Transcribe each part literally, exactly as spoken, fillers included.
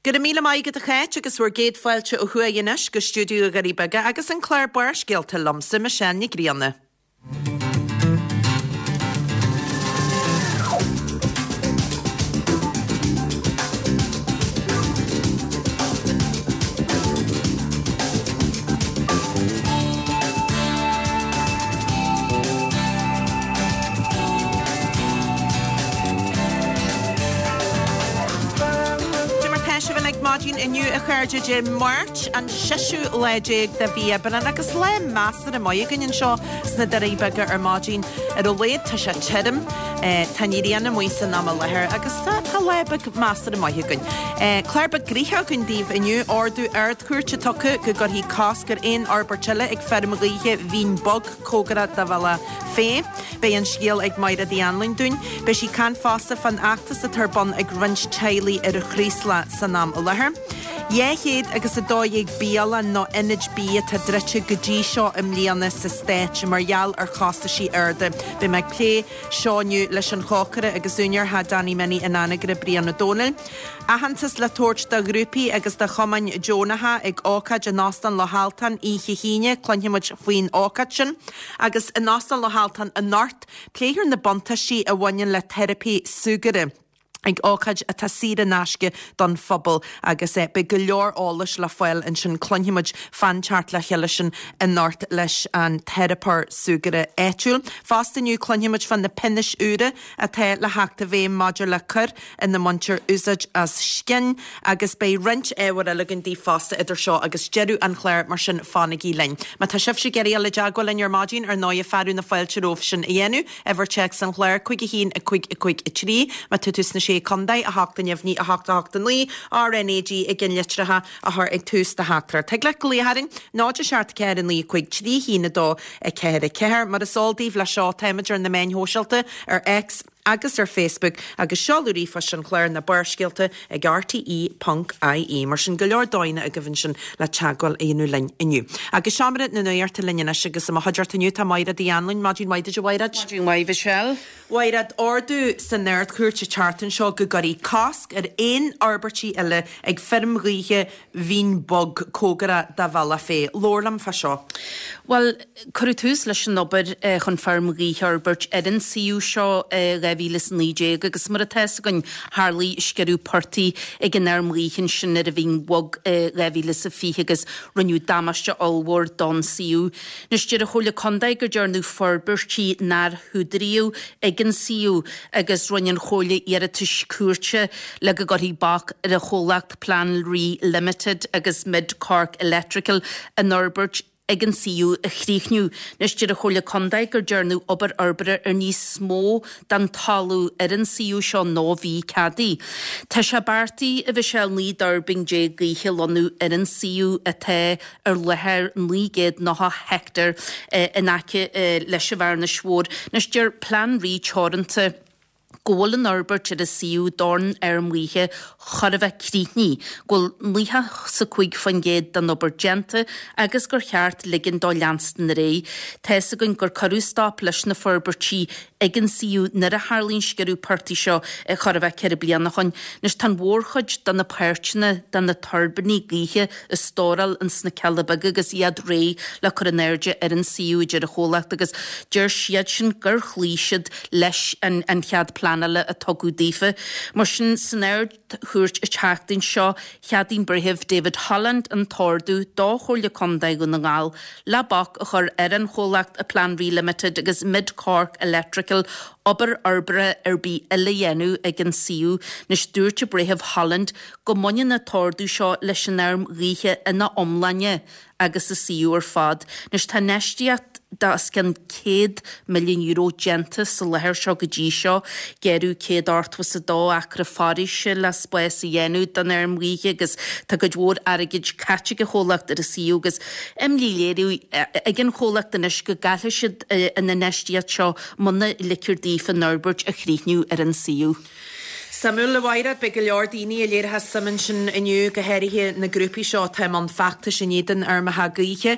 Go raibh míle maith agat a Cháit agus bhur gcéad fáilte ó thuaidh anois go stiúideo na nDoirí Beaga agus an clár Barrscéalta liomsa Michelle Ní Ghrianna. Cad é mar tá sibh uilig maidin inniu a chairde Dé Máirt an seisiú lá déag de mhí Aibreán agus lá measartha maith againn anseo sna Doirí Beaga ar maidin. Ar a laghad tá sé tirim, tá an ghrian amuigh san am i láthair agus tá tá lá beag measartha maith againn. Clár beag gnoitheach againn daoibh inniu, ordú Ard-Chúirte tugtha go gcuirfí cosc ar aon fhorbairt eile ag feirm ghaoithe Bhinn Bhog cóngarach do Bhealach Féich. Beidh an scéal ag Mairéad Uí Anluain dúinn. Beidh sí ag caint fosta fán fheachtas atá ar bun ag roinnt teaghlaigh ar an Chraoslach san am i láthair. Dhá chéad agus a dó dhéag bialann nó ionad bia atá druidte go dtí seo i mbliana sa Stát mar gheall ar chostaisí arda. Beidh mé ag plé seo inniu leis an chócaire agus úinéir Theach Danny Minnie in Anagaire, Brian Ó Dónaill. Aitheantas le tabhairt do ghrúpaí agus do chumainn deonacha ag ócáid in Óstán Loch Altan oíche hAoine, cluinfidh muid faoin ócáid sin. Agus in Óstán Loch Altan anocht, pléifear na buntáistí a bhaineann le teiripí súgartha ag ócáid atá saor in aisce don phobal agus eh, beidh go leor eolais le fáil ansin cluinfidh muid fán teacht le chéile sin anocht leis an teiripeoir súgartha áitiúil. Fosta inniu cluinfidh muid fá na pionóis úra atá le theacht i bhfeidhm maidir le coir ina mbaintear úsáid as scian agus beidh roinnt ábhar eile againn daoibh fosta idir seo agus deireadh an chláir mar sin fanaigí linn. Má tá sibhse ag iarraidh dul i dteagmháil linn ar maidin ar ndóigh fearadh na fáilte romhaibh sin a dhéanamh, uimhir téacs an chláir cúig a haon a cúig a cúig a trí, má tá tú sna sé contae a hocht a neamhní a hocht a hocht a naoi, RNAG i gceannlitreacha a chur ag tús do theachtaireacht. Thig leat glaoch orainn náid a seacht ceathair a naoi cúig trí haon a dó a ceathair a ceathair. Mar is eol daoibh le seo táimid ar na meáin shóisialta ar X agus ar Facebook agus seoladh ríomhphoist an chláir na Barrscéalta ag RTE ponc IE. Mar sin go leor dóigheanna agaibh ansin le teagmháil a dhéanamh linn inniu. Agus seomra na nuachta linn anois agus i mo chuideachta inniu tá Mairéad Uí Anluain, maidin mhaith duit a Mhairéad. Maidin mhaith Michelle. Mhairéad, ordú san Ard-Chúirt an tseachtain seo go gcuirfí cosc ar aon fhorbairtí eile ag feirm ghaoithe Bhinn Bhog cóngarach do Bhealach Féich. Labhair liom fá seo. Bhuel, cuireadh tús leis an obair chun feirm ghaoithe a fhorbairt ar an suíomh seo i dhá mhíle is a naoi déag agus mar atá fhios againn tharlaigh sciorradh portaigh ag an fheirm ghaoithe ansin ar an Bhinn Bhog i dhá mhíle is a fiche agus rinneadh damáiste ollmhór don suíomh. Anois deir an Chomhairle Contae gur dearnadh forbairtí nár húdaraíodh ag an suíomh agus rinne an Chomhairle iarratais cúirte le go gcuirfí bac ar an chomhlacht Plean Rí Limited agus Mid Cork Electrical an fhorbairt ag an suíomh a chríochnú. Anois deir an Chomhairle Contae gur dearnadh obair fhorbartha ar níos mó den talamh ar an suíomh seo ná bhí ceadaithe. Tá sé beartaithe a Mhichelle naoi dtuirbín déag gaoithe a lonnú ar an suíomh atá ar láthair naoi gcéad nócha heicteár in aice leis an Bhearnais Mhór. Anois deir Plean Rí Teoranta go bhfuil an fhorbairt ar an suíomh don fheirm ghaoithe chóir a bheith críochnaithe, go bhfuil nócha 's a cúig faoin gcéad den obair déanta agus gur cheart ligean dó leanstan ar aghaidh. Tá fhios againn gur cuireadh stop leis na forbairtí ag an suíomh nuair a tharlaigh an sciorradh portaigh seo chóir a bheith ceithre bliana ó shoin. Anois tá an mhórchuid de na páirteanna de na tuirbíní gaoithe á stóráil ins na Cealla Beaga agus iad réidh le cur in airde ar an suíomh, a deir an chomhlacht, agus deir siad sin gur chloígh siad leis an an chead pleanála a tugadh daofa. Mar sin, san Ard-Chúirt an tseachtain seo, cheadaigh an Breitheamh David Holland an t-ordú do Chomhairle Contae Dhún na nGall le bac a chur ar an chomhlacht Plean Rí Limited agus Mid Cork Electrical obair fhorbartha ar bith eile a dhéanamh ag an suíomh. Anois dúirt an Breitheamh Holland go mbaineann an t-ordú seo leis an fheirm ghaoithe ina iomláine agus an suíomh ar fad. Anois tá infheistíocht de os cionn céad milliún euro déanta sa láthair seo go dtí seo. Gearradh céad ochtó is a dó acra foraoise le spás a dhéanamh don fheirm ghaoithe agus tá cuid mhór airgid caite ag an chomhlacht ar an suíomh agus imní léirithe ag an chomhlacht anois go gcaillfidh siad an infheistíocht seo muna ligtear daofa an fhorbairt a chríochnú ar an suíomh. Suimiúil, a Mhaighread, beidh go leor daoine a léirithe suim ansin inniu, go háirithe na grúpaí seo atá i mbun feachtais in éadan fheirmeacha gaoithe.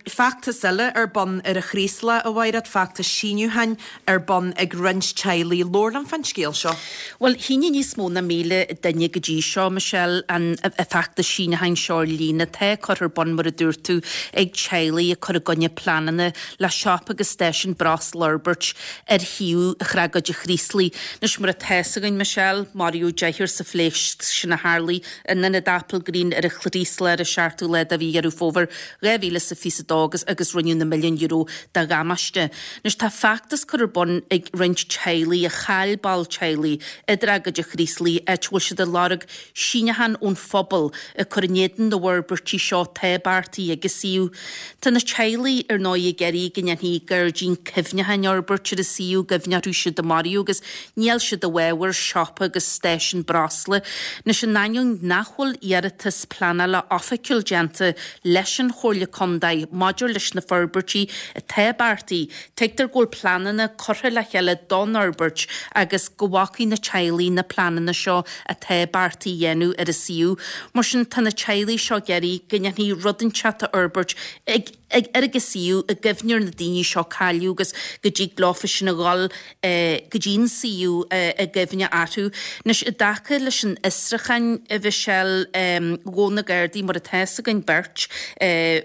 Feachtas eile ar bun ar an Chraoslach, a Mhaighread, feachtas síniúcháin ar bun ag roinnt teaghlaigh. Labhair liom fán scéal seo. Bhuel, shínigh níos mó ná míle duine go dtí seo, Michelle, an feachtas síniúcháin seo ar líne atá curtha ar bun, mar a dúirt tú, ag teaghlaigh ag cur i gcoinne pleananna le siopa agus stáisiún breosla a fhorbairt ar shuíomh Thragóid an Chraoslaigh. Anois, mar atá fhios againn, Michelle, maraíodh deichniúr sa phléasc sin a tharlaigh in ionad Applegreen ar an Chraoslach ar an seachtú lá de mhí Dheireadh Fómhair dhá mhíle is a fiche a dó agus agus rinneadh na milliúin euro de dhamáiste. Anois tá feachtas curtha ar bun ag roinnt teaghlaigh a chaill ball teaghlaigh i dtragóid an Chraoslaigh áit a bhfuil siad ag lorg síniúchán ón phobal ag cur in éadan na bhforbairtí seo atá beartaithe ag an suíomh. Tá na teaghlaigh ar ndóigh ag iarraidh go ndéanfaí gairdín cuimhneacháin a fhorbairt ar an suíomh i gcuimhne orthu siúd a maraíodh agus níl siad i bhfabhar siopa agus stáisiún breosla. Anois in ainneoin nach bhfuil iarratas pleanála oifigiúil déanta leis an Chomhairle Contae maidir leis na forbairtí atá beartaithe, tuigtear go bhfuil pleananna curtha le chéile don fhorbairt agus go bhfacaidh na teaghlaigh na pleananna seo atá beartaithe a dhéanamh ar an suíomh. Mar sin tá na teaghlaigh seo ag iarraidh go ndéanfaí rud inteacht a fhorbairt ag ag ar an suíomh i gcuimhne ar na daoine seo cailleadh agus go dtig leofa sin a dhul go dtí an suíomh i gcuimhne orthu. Anois i dtaca leis an fhiosrúchán, a Mhichelle, ghabh na Gardaí, mar atá fhios againn beirt,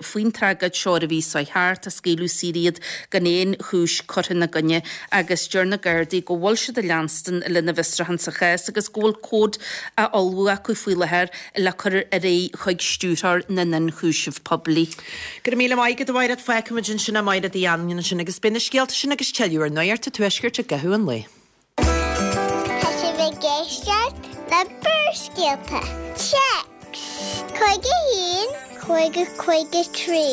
faoin tragóid seo ar an mhí seo thart, tá scaoileadh saor iad gan aon chúis curtha ina gcoinne agus deir na Gardaí go bhfuil siad ag leanstan lena bhfiosrúchán sa chás agus go bhfuil comhad á ullmhú acu faoi láthair le cur ar aghaidh chuig Stiúrthóir na nIonchúiseamh Poiblí. Go raibh míle maith agat, a Mhaighread. Fágfaimid ansin é Maighread Uí Anluain ansin agus beidh na scéalta sin agus tuilleadh ar Nuacht an Tuaiscirt i gcaitheamh an lae. Tá sibh ag éisteacht le Barrscéalta. Téacs cúig a haon, cúig a cúig a trí.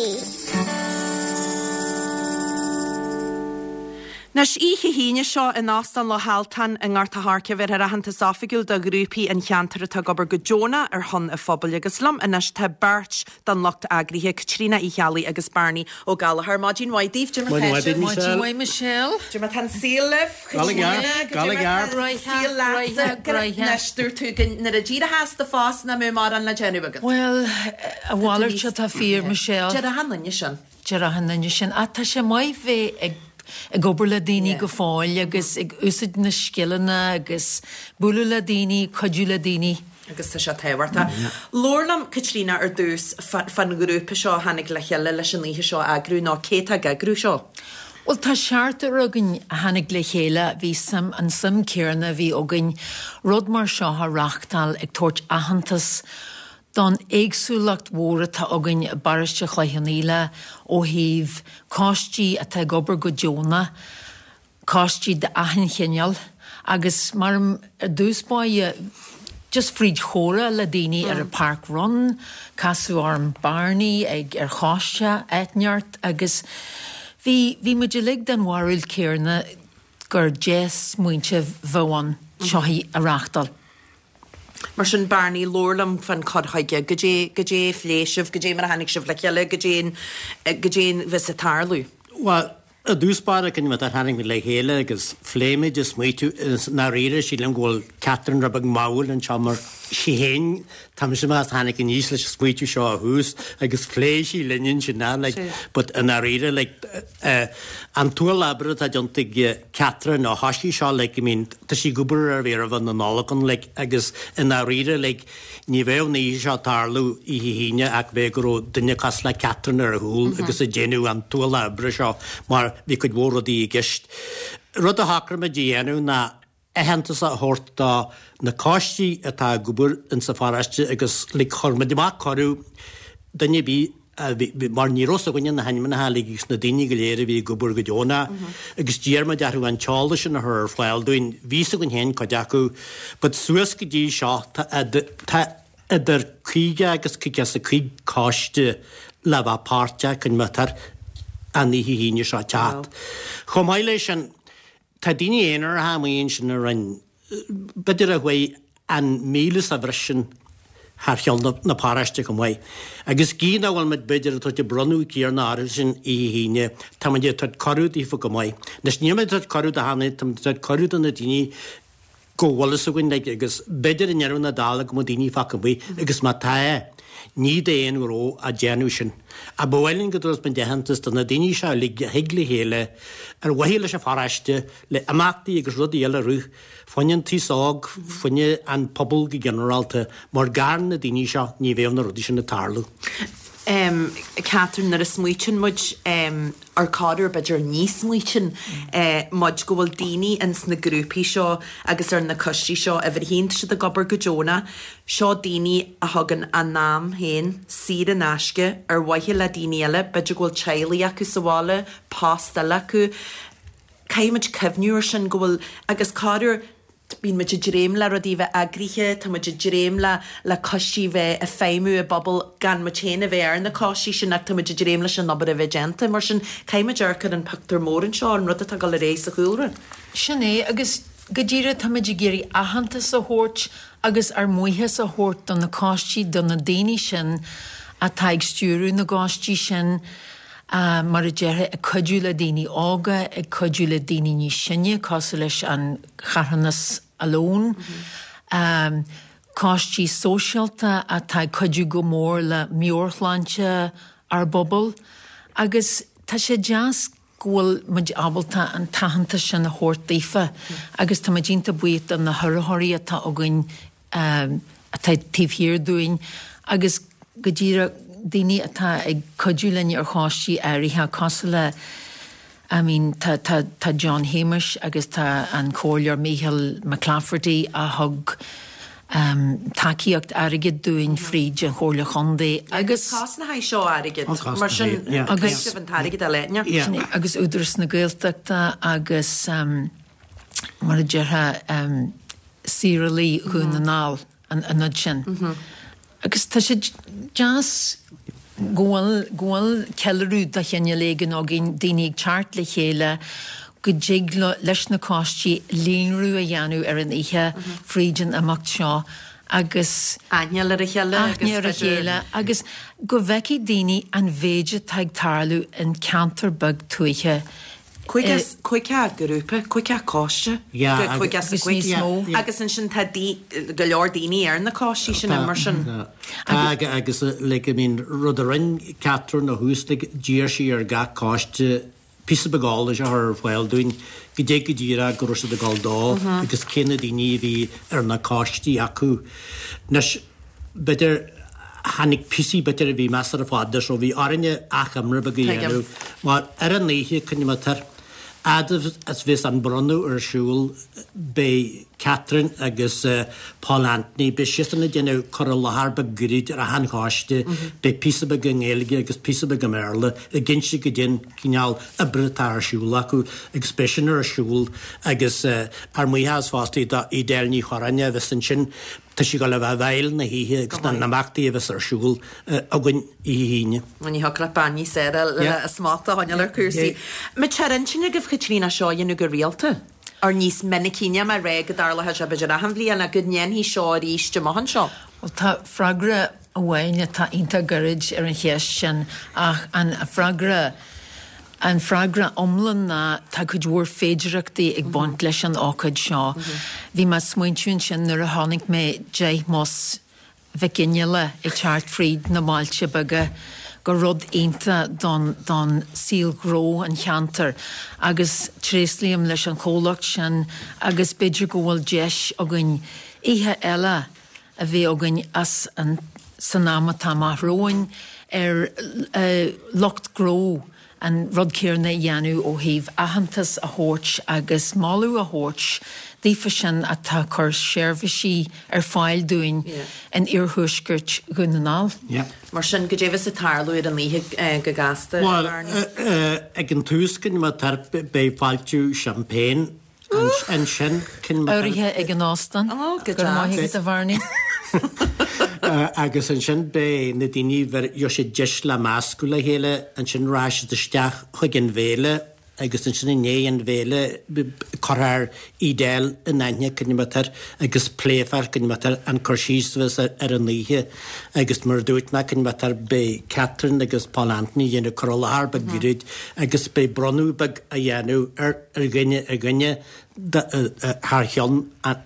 Anois, oíche hAoine seo in Óstán Loch Altan i nGort a' Choirce, bhéarfar aitheantas oifigiúil do ghrúpaí an cheantair atá ag obair go deonach ar shon an phobail agus liom anois tá beirt den lucht eagraithe, Caitríona Uí Cheallaigh agus Bearnaí Ó Gallchóir. Maidin mhaith daoibh, cad é mar tá sibh? Maidin mhaith Michelle. Cad é mar tá an saol libh, Caitríona, cad é mar tá an saol leatsa? Anois, dúirt tú go nuair a d'éireofá as do phost nach mbeadh mórán le déanamh agat. Bhuel, a mhalairt atá fíor, Michelle. Deir achan duine sin. Deir achan duine sin. Ach tá sé maith bheith ag ag obair le daoine go fóill agus ag úsáid na scileanna agus bualadh le daoine, cuidiú le daoine. Agus tá sé tábhachtach. Labhair liom, Caitríona, ar dtús fán ghrúpa seo a tháinig le chéile leis an oíche seo a eagrú, nó cé atá ag eagrú seo? Bhuel, tá seachtar againn a tháinig le chéile, bhí suim, an suim céarna a bhí againn rud mar seo a reáchtáil ag tabhairt aitheantas don éagsúlacht mhór atá againn i bparóiste Chloich Cheann Fhaola ó thaobh coistí atá ag obair go deonach, coistí d'achan chineál agus mar ar dtús báire just fríd chomhrá le daoine ar an Park Run, casadh orm Barney ag ar choiste áit inteacht agus bhí bhí muid uilig den bharúil céarna gur dea-smaointe bheadh ann seo a reáchtáil. Mar sin, Barney, labhair liom fán cur chuige. Goidé, goidé a phléigh sibh, goidé mar a tháinig sibh le chéile, goidé, goidé a bheas ag tarlú? Bhuel, i dtús báire, cén mar a tháinig muid le chéile agus phléigh muid is smaoitiú is i ndáiríre sílim go bhfuil Catherine rud beag mall anseo mar sí féin, tá mise mar a tháinig aníos leis an smaoitiú seo ó thús agus phléigh sí linn ansin, like, but i ndáiríre, like, An t-ualach oibre atá déanta ag Catherine ó thoisigh seo like I mean tá sí ag obair ar bheith roimh na Nollag ann like agus i ndáiríre like ní bheadh an oíche seo ag tarlú oíche hAoine ach bheadh go raibh duine cosúil le Catherine ar a chúl agus ag déanamh an t-ualach oibre seo mar bhí cuid mhór rudaí i gceist. Rud a shocraigh muid a dhéanamh ná aitheantas a thabhairt do na coistí atá ag obair insa pharóiste agus like chuir muid amach cuireadh duine ar bith a bhí, mar ní raibh 's againne na hainmneacha uilig agus na daoine go léir a bhí ag obair go deonach agus d'iarr muid orthu an t-eolas sin a chur ar fáil dúinn. Bhí 's againn féin cuid acu but suas go dtí seo tá tá idir caoga agus caoga is a cúig coiste le bheith páirteach cén mar atá an oíche hAoine seo ag teacht. Chomh maith leis sin tá daoine aonaracha amuigh ansin a rinn b'fhéidir a chuaigh an míle sa bhreis sin thar cheann na paróiste chomh maith. Agus gidh nach bhfuil muid b'fhéidir ag tabhairt an bronnadh céarna orthu sin oíche hAoine, tá muid ag tabhairt cuireadh daofa go maith. Anois níl muid ag tabhairt cuireadh do achan duine, tá muid ag tabhairt cuireadh do na daoine go bhfuil fhios againn like agus b'fhéidir i ndeireadh na dála go mbeadh daoine fágtha amuigh agus má tá ní d'aon ghnó a déanadh sin. Ach ba mhaith linn go dtabharfas muid aitheantas do na daoine seo uilig a thig le chéile ar mhaithe leis an pharóiste, le imeachtaí agus rudaí eile a rith, fá choinne an t-aos óg, fá choinne an pobal go ginearálta, mar gan na daoine seo ní bheadh na rudaí sin ag tarlú. Em, Catherine, nuair a smaoitíonn muid em, ar corruair b'fhéidir ní smaoitíonn eh, muid go bhfuil daoine ins na grúpaí seo agus ar na coistí seo uimhir a haon tá siad ag obair go deonach, seo daoine a thugann a n-am féin saor in aisce ar mhaithe le daoine eile, b'fhéidir go bhfuil teaghlaigh acu sa bhaile, post eile acu. Caithfidh muid cuimhniú ar sin go bhfuil, agus corruair bíonn muid ag dréim le rudaí a bheith eagraithe, tá muid ag dréim le le coistí a bheith ag feidhmiú i bpobal gan muid féin a bheith ar na coistí sin ach tá muid ag dréim leis an obair a bheith déanta. Mar sin, caithfidh muid amharc ar an pictiúr mór anseo, an rud atá ag dul ar aghaidh sa chúlra. Sin é, agus go díreach tá muid ag iarraidh aitheantas a thabhairt agus ár mbuíochas a thabhairt do na coistí, do na daoine sin atá ag stiúradh na gcoistí sin, mar a déarfá, ag cuidiú le daoine óga, ag cuidiú le daoine níos sine, cosúil leis an charthanas Alone, coistí sóisialta atá ag cuidiú go mór le meabhairshláinte ár bpobail agus tá sé deas go bhfuil muid ábalta an t-aitheantas sin a thabhairt daofa agus tá muid iontach buíoch do na hurraitheoirí atá againn atá taobh thiar dúinn agus go díreach daoine atá ag cuidiú linn ar choistí áirithe cosúil le I mean tá tá tá John Shéamuis agus tá an Comhairleoir Micheál McClafferty a thug um, tacaíocht airgid dúinn fríd an Chomhairle Chontae agus Cás na haghaidh seo airgid mar sin agus an t-airgead a leithne. Agus Údarás na Gaeltachta agus um, mar a déarfá um, Saorálaigh Dhún na nGall an an sin. Mm -hmm. Agus tá sé deas go bhfuil go bhfuil ceiliúradh de chineál éigin againn daoine ag teacht le chéile go dtig leis na coistí líonrú a dhéanamh ar an oíche fríd an imeacht seo agus aithne ar a chéile aithne ar a chéile agus go bhfeicfidh daoine an mhéid atá ag tarlú in ceantar beag tuaithe Caoga grúpa, caoga coiste, caoga agus níos mó. Agus ansin tá go leor daoine ar na coistí sin mar sin. Tá agus like I mean rud a rinne Catherine ó thús like d'iarr sí ar gach coiste píosa beag eolais a chur ar fáil dúinn goidé go díreach go raibh siad ag dul dó agus cé na daoine a bhí ar na coistí acu. Anois b'fhéidir tháinig píosaí b'fhéidir a bhí measartha fada so bhí orainne achoimre beag a dhéanamh mar ar an oíche coinne tar fhad is bheas an bronnadh ar siúl beidh Catherine agus Paul Anthony, beidh siadsan ag déanamh cur i láthair beag gairid ar achan choiste, beidh píosa beag i nGaeilge agus píosa beag i mBéarla ag inse goidé an cineál oibre atá ar siúl acu agus beidh sin ar siúl agus ár mbuíochas fosta do Edel Ní Chorráin a bheas ansin Tá sí ag dul a bheith i bhfeighil na hoíche agus na n-imeachtaí a bheas ar siúl againn oíche hAoine. Ní thiocfadh leat bean níos fearr le a smacht a choinneáil ar chúrsaí. An mbeadh sé ar intinn agaibh Caitríona seo a dhéanamh go rialta? Or níos minicí, níl mé ag rá go dtarlóidh sé b'fhéidir achan bhliain ach go ndéanfaí seo arís amach anseo? Bhuel tá freagra amháin atá iontach gairid ar an cheist sin ach an freagra An freagra iomlán ná tá cuid mhór féidireachtaí ag baint leis an ócáid seo. Bhí mé ag smaointiú ansin nuair a chonaic mé deich mbus Mhic Fhionnghaile ag teacht fríd na bailte beaga gur rud iontach don don saol gnó an cheantair agus tréaslaím leis an chomhlacht sin agus b'fhéidir go bhfuil deis againn oíche eile a bheith againn as an san am atá amach romhainn ar lucht gnó an rud céanna a dhéanamh ó thaobh aitheantas a thabhairt agus moladh a thabhairt daofa sin atá ag cur seirbhísí ar fáil dúinn in iarthuaisceart Dhún na nGall. Mar sin, goidé a bheas ag tarlú ar an oíche go gasta, Bhuel, ag an tús, beidh fáiltiú champagne Ansin, Urraithe ag an óstán. Ó, go Go raibh maith deas. agat, a Bharney. Agus ansin beidh na daoine, gheobhaidh siad deis le meascadh le chéile, ansin rachaidh siad isteach chuig an bhféile agus ansin i ndiaidh an bhéile cuirfear Edel in aithne cad é mar atá agus pléifear cad é mar atá an cur síos a bheas ar an oíche agus mar a dúirt mé cad é mar atá beidh Catherine agus Paul Anthony ag déanamh cur i láthair beag gairid agus beidh bronnadh beag á dhéanamh ar dhuine ar dhuine thar cheann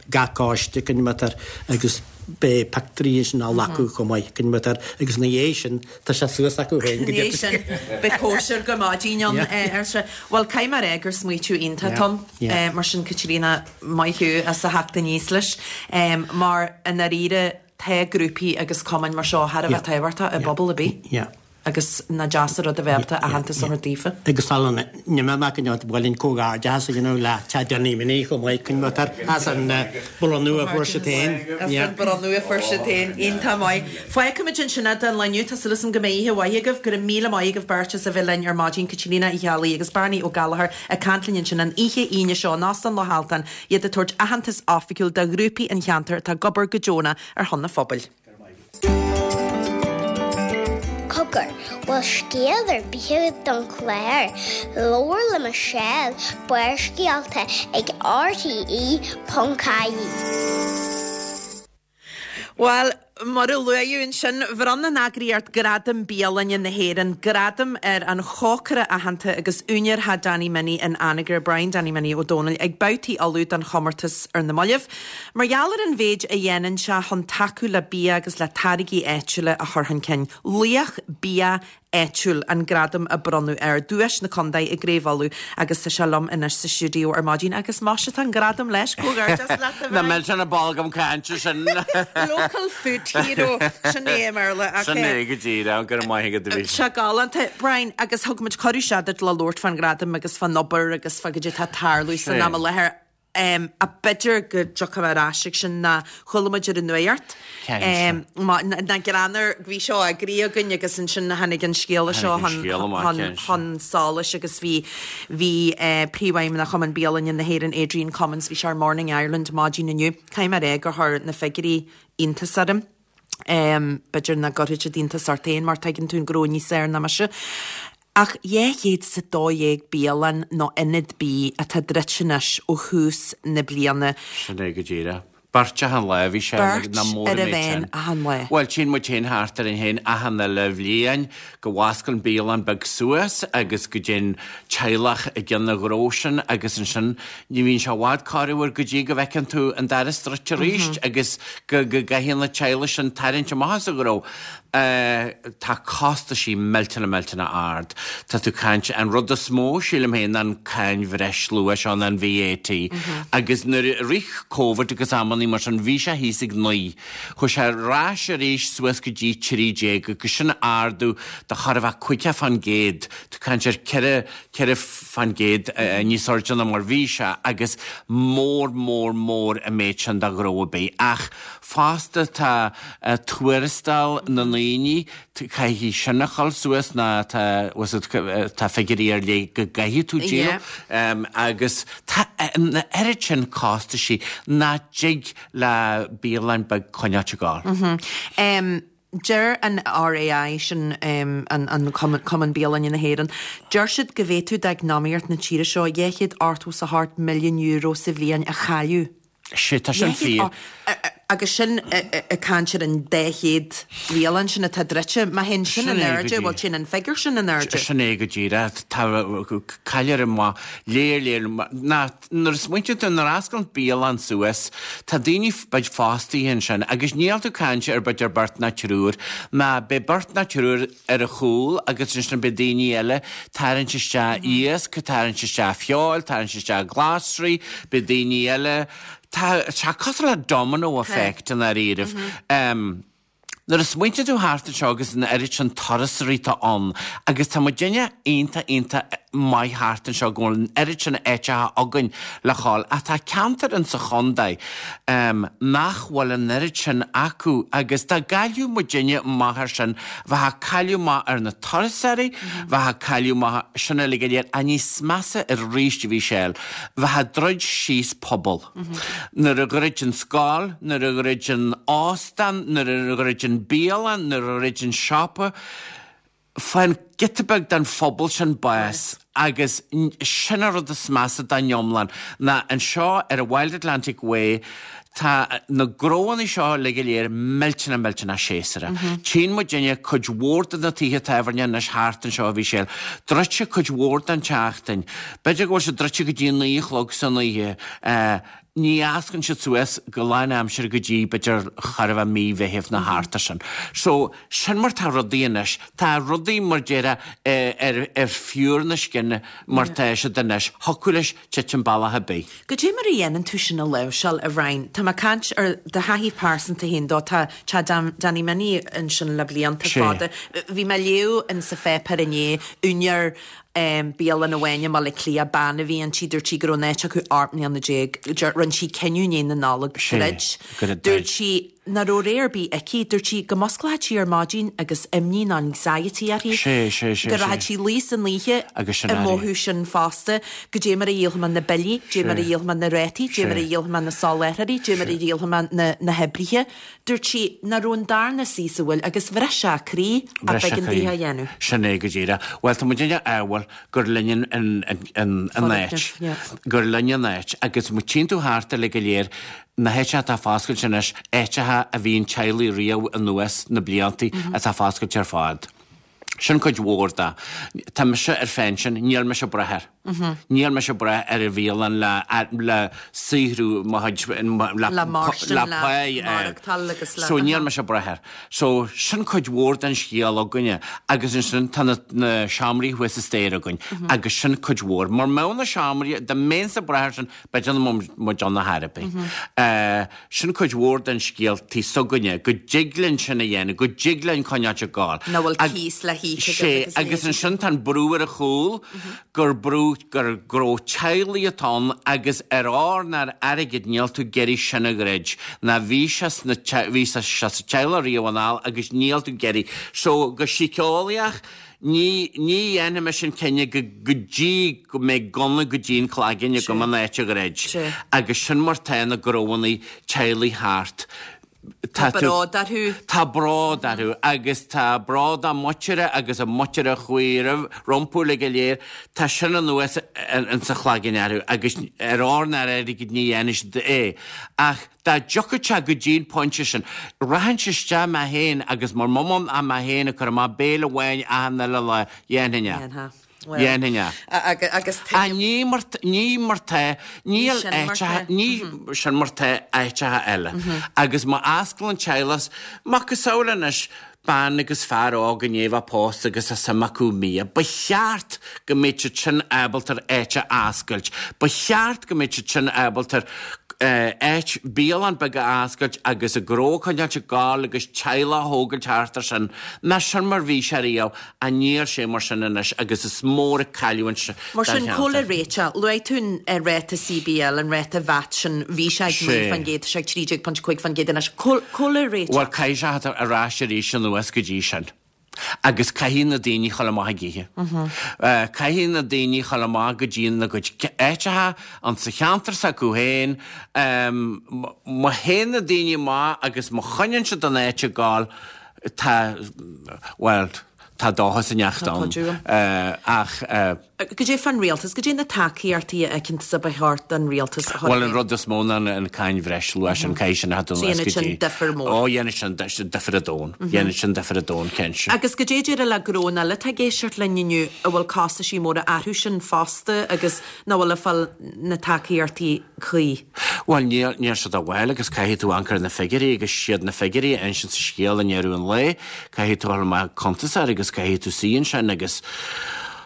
gach coiste cad é mar atá agus beidh pictiúirí ansin á nglacadh chomh maith cad é mar atá agus ina dhiaidh sin tá sé suas acu féin go Ina dhiaidh sin beidh cóisir go maidin ann ar sé. Bhuel caithfidh mé a rá gur smaoitiú iontach Tom mar sin Caitríona maith thú as a theacht aníos leis mar i ndáiríre tá grúpaí agus cumainn mar seo thar a bheith tábhachtach i bpobal ar bith. Agus nach deas an rud a bheith ábalta aitheantas a thabhairt daofa. Agus sula n-imeoidh mé go dtí bhfuil comhghairdeachas a dhéanamh le Teach Danny Minnie chomh maith cad é mar atá as an bronnadh a fuair siad féin. As an bronnadh a fuair siad féin. Iontach maith. Fágfaimid ansin é don lá inniu. Tá súil agam go mbeidh oíche mhaith agaibh. Go raibh míle maith agaibh beirt as a bheith linn ar maidin, Caitríona Uí Cheallaigh agus Barney Ó Gallchóir ag caint linn ansin an oíche Aoine seo in Óstán Loch Altan, iad ag tabhairt aitheantas oifigiúil do ghrúpaí an cheantair atá ag obair go deonach ar shon an phobail. Cogar, bhfuil scéal ar bith agat don chlár? Labhair le Michelle, Barrscéalta ag RTE ponc ie. Bhuel, mar a luadh ansin, bhronn an eagraíocht Gradaim Bialainne na hÉireann gradam ar an chócaire aitheanta agus úinéir Theach Danny Minnie in Anagaire, Brian Danny Minnie Ó Dónaill, ag babhtaí Uladh don chomórtas ar na mallaibh. Mar gheall ar an mhéid a dhéanann sé chun tacú le bia agus le táirgí áitiúla a chur chun cinn, Laoch Bia Áitiúil an gradam a bronnadh air, duais na contae i gCraobh Uladh agus tá sé liom anois sa stiúideo ar maidin agus muise tá an gradam leis, comhghairdeas leat a Na Bhriain. millteanna bolgam cainte sin. Local food hero, sin é i mBéarla ach Sin é go díreach, go raibh maith agat a Sé galánta. Brian, agus thug muid cuireadh seo duit le labhairt fán ghradam agus fán obair agus fá goidé atá ag tarlú san Sé. am i láthair. Um, a b'fhéidir go dtiocfaidh mé ar ais ag sin ná chuala muid ar an nuacht. Cinnte. Um, ma- na na greannar bhí seo eagraithe againn agus ansin tháinig an scéala seo Tháinig an chun scéal amach, chun cinnte. chun solais agus bhí bhí eh, príomhfheidhmeannach Chumann Bialainne na hÉireann Adrian Cummins bhí sé ar Morning Ireland maidin inniu. Caithfidh mé a rá gur chuir na figiúirí iontas orm. Um, b'fhéidir nach gcuirfidh siad iontas ort féin mar tuigeann tú an gnó níos fearr ná mise. Ach dhá chéad is a dó dhéag bialann nó ionad bídh atá druidte anois ó thús na bliana. Sin é go díreach. Beirt achan lá bhí sé Beirt na mór ar a méid bhean sin. achan lá. Bhuel, tchíonn muid féin thart orainn féin achan uile bhliain go bhfosclann bialann beag suas agus go dtéann teaghlach i gcionn an ghnó sin agus ansin ní bhíonn sé i bhfad corruair go dtí go bhfeiceann tú an doras druidte arís agus go go gcaithfidh na teaghlaigh sin tarraingt amach as an ghnó. Uh, tá costaisí millteanach millteanach ard. Tá tú caint an rud is mó sílim féin an cáin bhreisluacha seo an VAT. Agus nuair a rith Covid agus amannaí mar sin bhí sé thíos ag naoi. Chuaigh sé ar ais arís suas go dtí trí déag agus sin ardú de chóir a bheith caoga faoin gcéad. Tú caint ar ceithre ceithre faoin gcéad uh, níos airde ná mar bhí sé agus mór mór mór an méid sin do ghnó ar bith. Ach fosta tá uh, tuarastal na ndaoine caithfidh sin a chur suas ná tá tá figiúirí ar leith go gcaithfidh tú díol. Yeah. Um, agus tá na oiread sin costaisí nach dtig le bialann beag coinneáil ag gabháil. Um, Deir an RAI sin um, an, an Cumann, Cumann Bialainne na hÉireann, deir siad go bhféadfadh d'eacnamaíocht na tíre seo dhá chéad ochtó is a hocht milliún euro sa bhliain a chailleadh. Sé tá sin Dhá chéad fíor. o- a- a- Agus sin ag caint ar an dá chéad bialann sin atá druidte, má théann sin Sin in é go airde, dtí. bhfuil sin an figiúr sin in airde. Sin é go díreach tá caillear maith léir léir ná nuair a smaointíonn tú nuair a osclaíonn bialann suas, tá daoine beid fostaithe ansin agus níl tú caint ar b'fhéidir beirt ná triúr, ná beidh beirt ná triúr ar a chúl agus ansin beidh daoine eile tarraingt isteach iasc, tarraingt isteach feoil, tarraingt isteach glasraí, beidh daoine eile Tá sé cosúil le domino effect in dáiríribh. Um, Nuair a smaointíonn tú thart anseo agus an oiread sin turasóirí atá ann, agus tá muid duine iontach iontach maith thart anseo go bhfuil an oiread sin áiteacha againn le ghabháil, ach tá ceantar in sa chontae um, nach bhfuil an oiread sin acu agus dá gcailleadh muid duine amach ar sin, bheadh cailleadh maith ar na turasóirí, bheadh cailleadh maith sin uilig go léir, a níos measa arís a Mhichelle, bheadh druid síos pobal. Nuair a dhruid an scoil, nuair a dhruid an óstán, nuair a dhruid an bialann, nuair a dhruid an siopa, Faigheann giota beag den phobal sin bás agus sin an rud is measa den iomlán ná anseo ar an Wild Atlantic Way tá na gnóanna seo uilig go léir millteanach millteanach séasúrach. Tchíonn muidinne cuid mhór de na tithe tábhairne anois thart anseo a Mhichelle druidte cuid mhór den tseachtain. B'fhéidir go bhfuil siad druidte go dtí a naoi a chlog san oíche. Ní osclaíonn siad suas go lán aimsire go dtí b'fhéidir chóir a bheith mí Mheithimh nó thart ar sin. So, sin mar tá rudaí anois. Tá rudaí mar déarfá ar ar phiúr na scine mar tá siad anois. Thiocfadh leis titim bealach ar bith. Goidé mar a dhéanann tú sin a láimhseáil, a Bhriain? Tá mé ag caint ar do thaithí pearsanta féin dó. Tá Teach Danny Minnie ansin le blianta fada. Bhí mé ag léamh in sa pháipéar inné, úinéir bialann amháin i mBaile Átha Cliath, bean a bhí inti, dúirt sí go raibh an áit acu ocht mbliana déag, rinne sí cinneadh i ndiaidh na Nollag druid. Dúirt sí nach raibh rogha ar bith aici, dúirt sí go musclódh sí ar maidin agus imní nó anxiety uirthi, go rachadh sí luí san oíche ag mothú sin fosta, goidé mar a dhíolfaidh mé na billí, goidé mar a dhíolfaidh mé na rátaí, goidé mar a dhíolfaidh mé na soláthróirí, goidé mar a dhíolfaidh mé na hoibrithe. Dúirt sí nach raibh an darna suí sa bhfuil agus bhris sé a croí ach b'éigean di é a dhéanamh. Sin é go díreach. Bhuel, tá muidinne ádhúil gur linn an áit. Gur linn an áit. Agus má tchíonn tú thart uilig go léir, na háiteacha atá foscailte anois, áiteacha a bhíonn teaghlaigh riamh anuas na blianta atá foscailte ar fad. Sin cuid mhór de. Tá mise ar phension, níl mise ag brath air. Níl mise ag brath ar an bhialann le le saothrú mo chuid le Le mairstin, le le pá a fháil. maireachtáil agus le So níl mise ag brath air. So sin cuid mhór den scéal againne agus ansin tá na na seomraí thuas sa staighre againn agus sin cuid mhór. Mura mbeadh na seomraí, dá mbeinnse ag brath air sin, b'fhéidir nach mbeadh muid ann ar chor ar bith. Sin cuid mhór den scéal tí s'againne, go dtig linn sin a dhéanamh, go dtig linn coinneáilt ag gabháil. Nach bhfuil cíos le híoc agat Sé, agus agus ansin tá an brú ar a chúl, gur brú, gur gnó teaghlaigh atá ann agus ar ór ná ar airgead níl tú ag iarraidh sin a dhruid, ná bhí sé sna, bhí sé sa teaghlach riamh anall agus níl tú ag iarraidh. So, go síceolaíoch, Ní, ní dhéanfaidh mise an cinneadh go, go dtí go mbeidh gunna go dtí an cloigeann agam an áit a dhruid. Agus sin mar tá na gnóannaí teaghlaigh thart. Tá bród orthu. Tá bród orthu agus tá bród a muintire agus a muintire a chuaigh roimh, rompu uilig go léir. Tá sin anuas insa chloigeann orthu agus ar ór ná ar airgead ní dhéanfaidh siad é. Ach Dá dtiocfadh sé go dtí an pointe sin, rachainnse isteach mé féin agus mura mbeinn ann mé féin ag cur amach béile amháin achan uile lá, dhéanfainn é. Dhéanfá. Bhuel. Dhéanfainn é. Agus Ach ní mar, ní mar tá, níl sin mar áiteacha, tá. ní sin mar tá áiteacha eile. Agus má osclaíonn teaghlach, macasamhail anois, bean agus fear óg i ndiaidh a bheith pósta agus tá suim acu i mbia. Ba cheart go mbeadh siad sin ábalta ar áit a oscailt. Ba cheart go mbeadh siad sin ábalta ar áit, bialann beag a oscailt agus a ngnó a choinneáilt ag gabháil agus teaghlach a thógáilt thart ar sin. Ná sin mar bhí sé riamh, ach níl sé mar sin anois agus is mór an cailliúint don Mar sin, cheantar. cá bhfuil réiteach? Luaigh tú an ráta CBL, an ráta VAT sin, bhí sé ag naoi faoin gcéad, tá sé ag trí déag ponc cúig faoin gcéad anois. Cá bhfuil réiteach? Bhuel, caithfidh sé theacht ar ais arís anuas go dtí sin. Agus caithfidh na daoine chul amach ag ithe. Caithfidh na daoine chul amach go dtí na gcuid áiteacha an sa cheantar s'acu féin. Má théann na daoine amach agus má choinníonn siad an áit ag gabháil, tá, bhuel, tá dóchas inteacht Tá ann. cuidiú ann. Ach. Goidé fán rialtas, goidé na tacaíochtaí a fheiceann tusa ba cheart don rialtas a chur Bhuel an rud is mó ná an cáin bhreisluacha sin, caithfidh sin a theacht So anuas dhéanfadh go sin dtí. difear mór. Ó dhéanfadh sin difear an domhain, dhéanfadh sin difear an domhain, cinnte. Agus goidé déarfá le gnónna eile atá ag éisteacht linn inniu a bhfuil costaisí móra orthu sin fosta agus nach bhfuil ag fáil na tacaíochtaí cuí? Bhuel níl, níl siad ag fáil agus caithfidh tú amharc ar na figiúirí agus siad na figiúirí a insíonn an scéal i ndeireadh an lae, caithfidh tú a dhul amach cuntasóir agus caithfidh tú suí ansin agus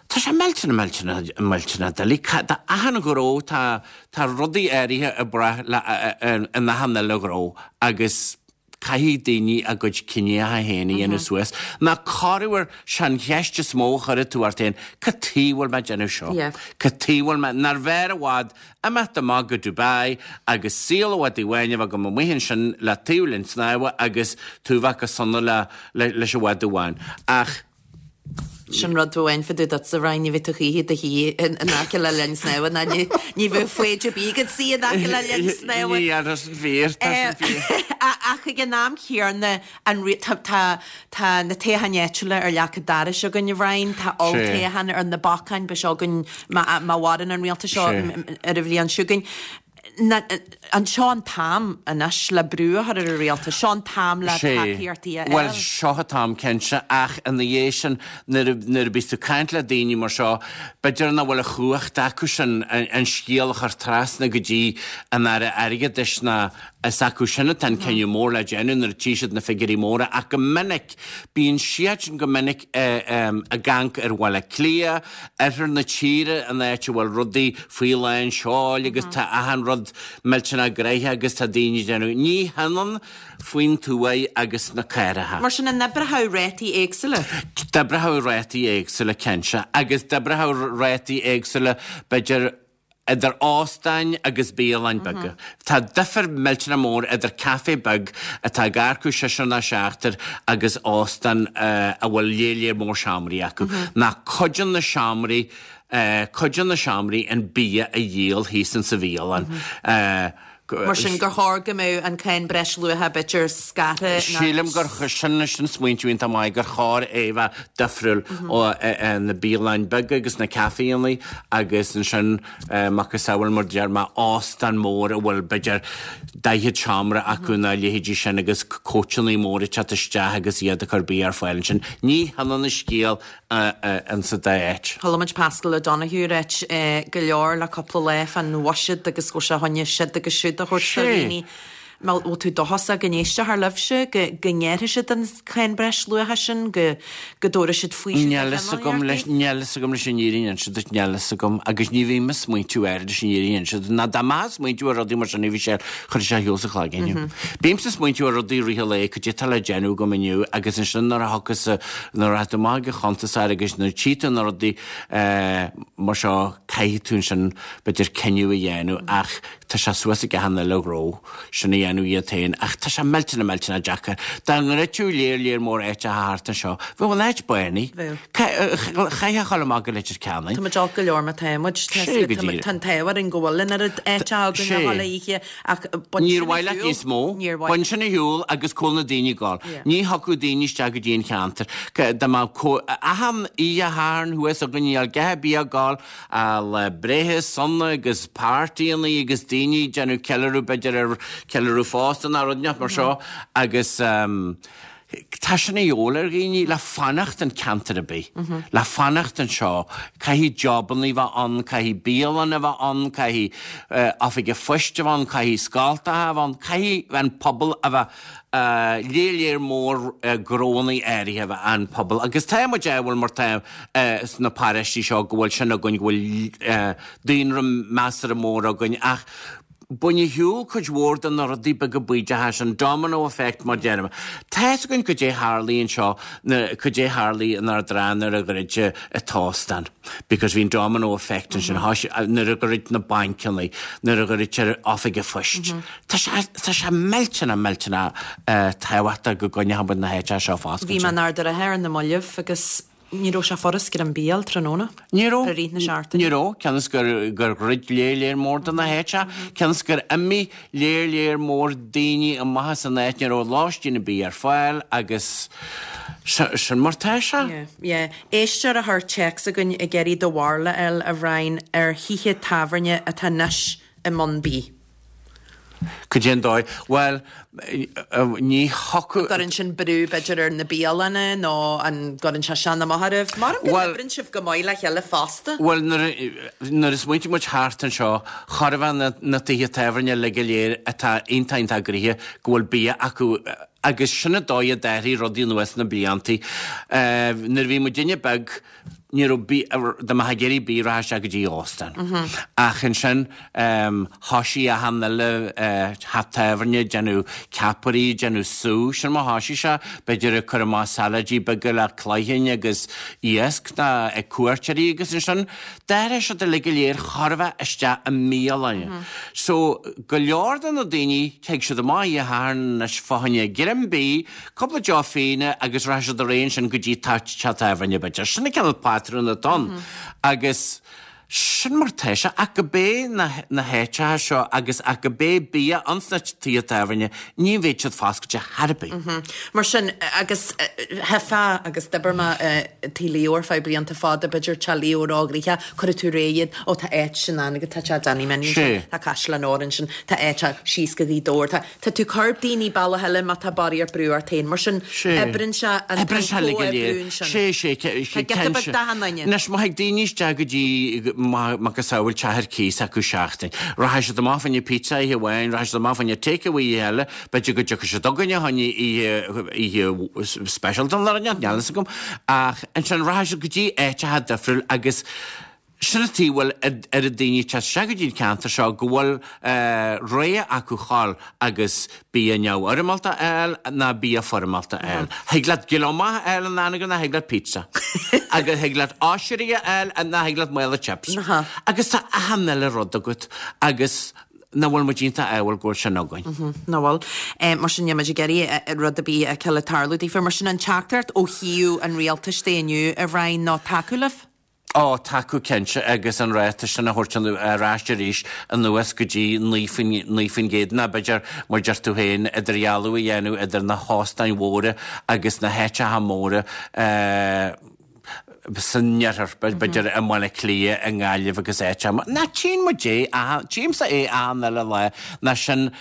Tá sé millteanach, millteanach, millteanach doiligh. Tá achan ghnó, tá, tá rudaí áirithe ag brath le, in achan uile ghnó agus caithfidh daoine a gcuid cinneacha féin a dhéanamh suas. Ná corruair, sé an cheist is mó a chuirfidh tú ort féin, cad chuige bhfuil mé ag déanamh seo? Cad chuige bhfuil mé, nárbh fhearr i bhfad imeacht amach go Dubai agus saol i bhfad amháin a bheith agam amuigh ansin le taobh linn snámha agus tú a bheith go sona le, leis an bhfad amháin. Ach. Sin rud amháin fá dtaobh duitse, Ryan, ní bheidh tú choíche i do shuí in aice le linn snámha ná ní ní bheadh foighid ar bith agat suí in aice le linn snámha. Ní tá sin fíor, tá sin fíor. Ach ag an am chéanna an tá tá tá na toghcháin áitiúla ar leac an dorais againn, a Bhriain, tá olltoghchán ar na bacáin, beidh sé againn má má mhaireann an rialtas seo ar an bhliain seo chugainn. An seo an t-am anois le brú a chur ar an rialtas? Seo an t-am le tacaíochtaí a fháil? Bhuel, seo an t-am cinnte, ach ina dhiaidh sin, nuair a bhíos tú ag caint le daoine mar seo, b'fhéidir nach bhfuil an chumhacht acu sin an scéal a chur trasna go dtí an Aire Airgeadais ná is acu sin atá an cinneadh mór le déanamh nuair a tchí siad na figiúirí móra ach go minic, bíonn siadsan go minic ag amharc ar Bhaile Átha Cliath, oirthear na tíre, an áit a bhfuil rudaí faoi lán seoil agus tá achan rud millteanach gnoitheach agus tá daoine ag déanamh. Ní hionann faoin tuaith agus na cathracha. Mar sin, an oibreoidh rátaí éagsúla? D'oibreodh rátaí éagsúla, cinnte, agus d'oibreodh rátaí éagsúla, b'fhéidir, idir óstáin agus bialanna beaga. Tá difear millteanach mór idir caife beag atá ag earcú seisear ná seachtar agus óstán a bhfuil léar léar mór seomraí acu. Ná cuid de na seomraí, cuid de na seomraí an bia a dhíol thíos insa bhialann. Mar sin gur chóir go mbeadh an cáin breisluacha b'fhéidir scartha ná. Sílim gur sin sin smaointiú iontach maith gur chóir é a bheith difriúil ó na bialanna beaga agus na caiféanna agus ansin macasamhail mar deir mé óstán mór a bhfuil b'fhéidir daichead seomra acu nó a leithéidí sin agus cóitseanna móra ag teacht isteach agus iad ag cur bia ar fáil ansin. Ní hionann an scéal insa dá áit. Chuala muid Paschal O'Donoghue ag ráit go leor le cúpla lá fán bhuiséad agus go bhfuil sé fá choinne siod agus siúd a thabhairt do dhaoine. Bhfuil tú dóchasach go n-éistfear libhse, go ngearrfaidh siad an cháin breisluacha sin, go dtabharfaidh siad faoiseamh Níl fhios agam leis, níl fhios agam leis an fhírinne a inse duit, níl fhios agam agus ní bhím ag smaointiú air leis an fhírinne a inse duit. Ná dá mbeifeá ag smaointiú ar rudaí mar sin a Mhichelle, chuirfeadh sé ar shiúl sa chloigeann thú. Bímse ag smaointiú ar rudaí i rith an lae, cad é atá le déanamh agam inniu agus ansin nuair a thiocfas, nuair a rachaidh tú amach ag an chuntasóir agus nuair a tchí tú na rudaí mar seo, caithfidh tú ansin b'fhéidir cinneadh a dhéanamh ach tá sé suas ag achan uile ghnó sin a dhéanamh iad féin ach tá sé millteanach millteanach deacair. Dá ndruidfeadh léar léar mór áiteacha thart anseo, bheadh an áit bánaithe. Chaithfeá a dhul amach go Leitir Ceanainn. Tá muid olc go leor mar tá muid. Sé go díreach. Tá an t-ádh orainn go bhfuil an oiread áite againn a dhul oíche ach bain Níor sin mhaith leat níos mó. Níor mhaith. Bain sin ar shiúl agus cá bhfuil na daoine ag gabháil. Ní thiocfadh daoine isteach go dtí an cheantar. Dá mbeadh achan oíche Shathairn thuas againn níl a dhath ar bith ag gabháil le breithe sona agus páirtíonnaí agus daoine ag déanamh ceiliúradh b'fhéidir ar ceiliúradh phósta nó rud inteacht mar seo agus tá sin a dhíobháil ar dhaoine le fanacht in ceantar ar bith, le fanacht anseo, caithfidh jobannaí bheith ann, caithfidh bialanna a bheith ann, caithfidh oifig an phoist a bheith ann, caithfidh scoltacha a bheith ann, caithfidh an pobal a bheith léar léar mór gnónnaí áirithe a bheith an pobal agus tá muid ádhúil mar tá sna paróistí seo go bhfuil sin againn, go bhfuil daonra measartha mór againn ach bain ar shiúl cuid mhór de na rudaí beaga bídeacha sin, domino effect mar deirim. Tá fhios againn goidé tharlaigh anseo, goidé tharlaigh in Ard an Rátha nuair a dhruid an t-óstán because bhí an domino effect ansin, nuair a dhruid na bainceanna, nuair a dhruidtear oifig an phoist. Tá sé, tá sé millteanach, millteanach tábhachtach go gcoinneoidh muid na háiteacha seo foscailte. Bhí mé in Ard an Rátha ar na mallaibh agus ní raibh sé furast greim bia a fháil tráthnóna. Ní raibh. I rith na seachtaine. Ní raibh, cionn is gur, gur dhruid léar léar mór de na háiteacha, cionn is gur imigh léar léar mór daoine amach as an áit, ní raibh lóistín ar bith ar fáil agus sin mar tá sé. Yeah, yeah. Éisteoir a chuir téacs chugainn ag iarraidh do bharúil a fháil, a Bhriain, ar thithe tábhairne atá anois i mbun bídh. Cad é an dóigh? Bhuel, ní thiocfadh. An gcuireann sin brú, b'fhéidir, ar na bialanna nó an gcuireann sé sin amach oraibh? Maram go n-oibreann sibh go maith le chéile fosta. Bhuel, nuair a smaointigh muid thart anseo, chóir a bheith na tithe tábhairne uilig go léir atá iontach iontach gnoitheach go bhfuil bia acu agus sin an dóigh a d'athraigh rudaí anuas na bliantaí. Nuair a bhí muidinne beag, ní raibh bia, dá mbeifeá ag iarraidh bia rachadh isteach go dtí óstán. Ach ansin thoisigh achan uile theach tábhairne ag déanamh ceapairí, ag déanamh sú, sin mar a thoisigh sé, b'fhéidir ag cur amach salaidí beaga le cloichinn agus iasc ná ag cuairteoirí agus ansin d'athraigh siad uilig go léir chóir a bheith isteach i mbialanna. So go leor de na daoine, tig siad amach oíche Shathairn anois fá choinne greim greim bídh, cúpla deoch fíona agus rachaidh siad ar aghaidh ansin go dtí teach tábhairne b'fhéidir. Sin an cineál patrún atá ann. Agus sin mar tá sé, ach go bé na na háiteacha seo agus ach go bé bia ins na tithe tábhairne, ní bheidh siad foscailte chor ar bith. Mar sin, agus theifeá agus d'oibir mé i Tigh Leo ar feadh blianta fada, b'fhéidir Teach Leo róghnoitheach, cuirfidh tú réidh iad, ó tá áit sin ann agus tá teach Danny Minnie ansin, tá Caisleán Óir ansin, tá áit síos go Gaoth Dobhair, tá tá tú ag cur daoine bealach eile má tá barraíocht brú ort féin. Mar sin, oibreann sé an comhoibriú ansin. Sé, sé, sé, Tá giota beag d'achan duine. Anois, má thig daoine isteach go dtí macasamhail teach ar cíos acu seachtain. Rachaidh siad amach fá choinne pizza oíche amháin, rachaidh siad amach fá choinne take-away oíche eile, b'fhéidir go dtiocfaidh siad chugainne fá choinne oíche, oíche speisialta nó rud inteacht, níl fhios agam. Ach ansin rachaidh siad go dtí áiteacha difriúil agus sin an tuige a bhfuil oiread daoine ag teacht isteach go dtí an ceantar seo, go bhfuil rogha acu dhul agus bia neamhfhoirmeálta a fháil ná bia foirmeálta a fháil. Thig leat gliomach a fháil in Anagaire ná thig leat pizza. Agus thig leat oisrí a fháil ná thig leat mála chips. Agus tá achan uile rud agat agus nach bhfuil muid iontach ádhúil go bhfuil sin againn. Nach bhfuil. Mar sin níl muid ag iarraidh rud ar bith a fheiceáil ag tarlú daofa. Mar sin an teachtaireacht ó thaobh an rialtais de inniu, a Bhriain, ná tacú libh? Ó, tacú cinnte agus an ráta sin a thabhairt ar ais arís anuas go dtí naoi faoin gcéad nó b'fhéidir, mar deir tú féin, idirdhealú a dhéanamh idir na hóstáin mhóra agus na háiteacha móra san iarthar, b'fhéidir i mBaile Átha Cliath, i nGaillimh agus áiteacha mar. Ná tchíonn muid é, tchímse é achan uile lá, ná sin,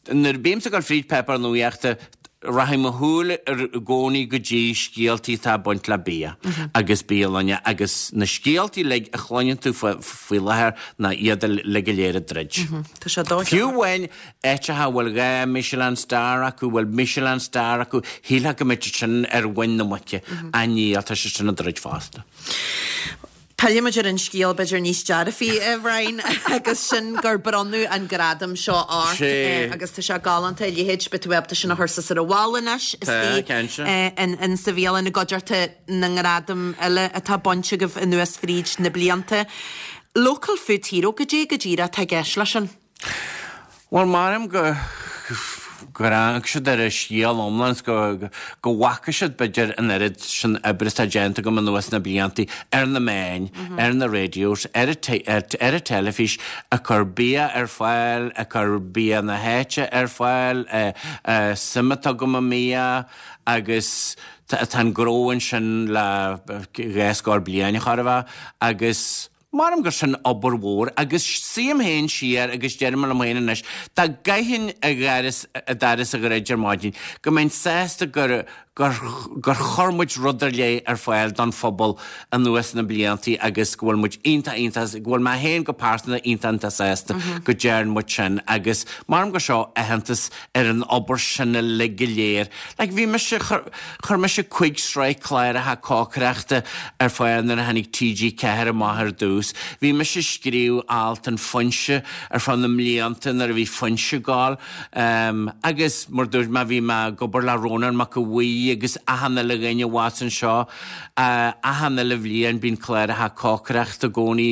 nuair a bímse ag dul fríd páipéar nuachta, Rachaidh mo shúil i gcónaí go dtí scéaltaí atá ag baint le bia agus bialanna agus na scéaltaí uilig a chluineann tú faoi láthair ná iad uilig go léir ag druid. Tá sé dóite. Fiú amháin áiteacha a bhfuil dhá Michelin star acu, bhfuil Michelin star acu, shílfeá go mbeadh siad sin ar mhuin na muice, ach níl, tá siad sin ag druid fosta. Pillfimid ar an scéal b'fhéidir níos dearfaí, a Bhriain, agus sin gur bronnadh an gradam seo ort agus tá sé galánta a leithéid, beidh tú ábalta sin a chur suas ar an bhalla anois istigh in sa bhialann i gcuideachta na ngradam eile atá bainte agaibh anuas fríd na blianta. Local Food Hero, goidé go díreach atá i gceist leis sin? Bhuel, maram go gur amharc siad ar an scéal iomlán is go go bhfaca siad b'fhéidir an oiread sin oibre atá déanta agam anuas na blianta ar na meáin, ar na radios, ar ar an teilifís, ag cur bia ar fáil, ag cur bia na háite ar fáil, suim atá agam i mbia agus tá an gnó ansin le dhá scór bliain chóir a bheith agus Maram gur sin obair mhór agus suím féin siar agus deirim liom féin anois, dá gcaithfinn a doras a dhruid ar maidin, go mbeinn sásta gur gur gur chuir muid rud ar leith ar fáil don phobal anuas na bliantaí agus go bhfuil muid iontach iontach, go bhfuil mé féin go pearsanta iontach iontach sásta go dtearn muid sin agus maram gur seo aitheantas ar an obair sin uilig go léir. Like bhí mise, chuir mise cúig sraith cláracha cócaireachta ar fáil nuair a tháinig T G ceathair amach ar dtús. Bhí mise ag scríobh alt in Foinse ar feadh na mblianta nuair a bhí Foinse ag gabháil. Agus mar dúirt mé bhí mé ag obair le Rónán Mac Aodha Bhuí agus achan uile dhuine abhus anseo. Achan uile bhliain bíonn cláracha cócaireachta i gcónaí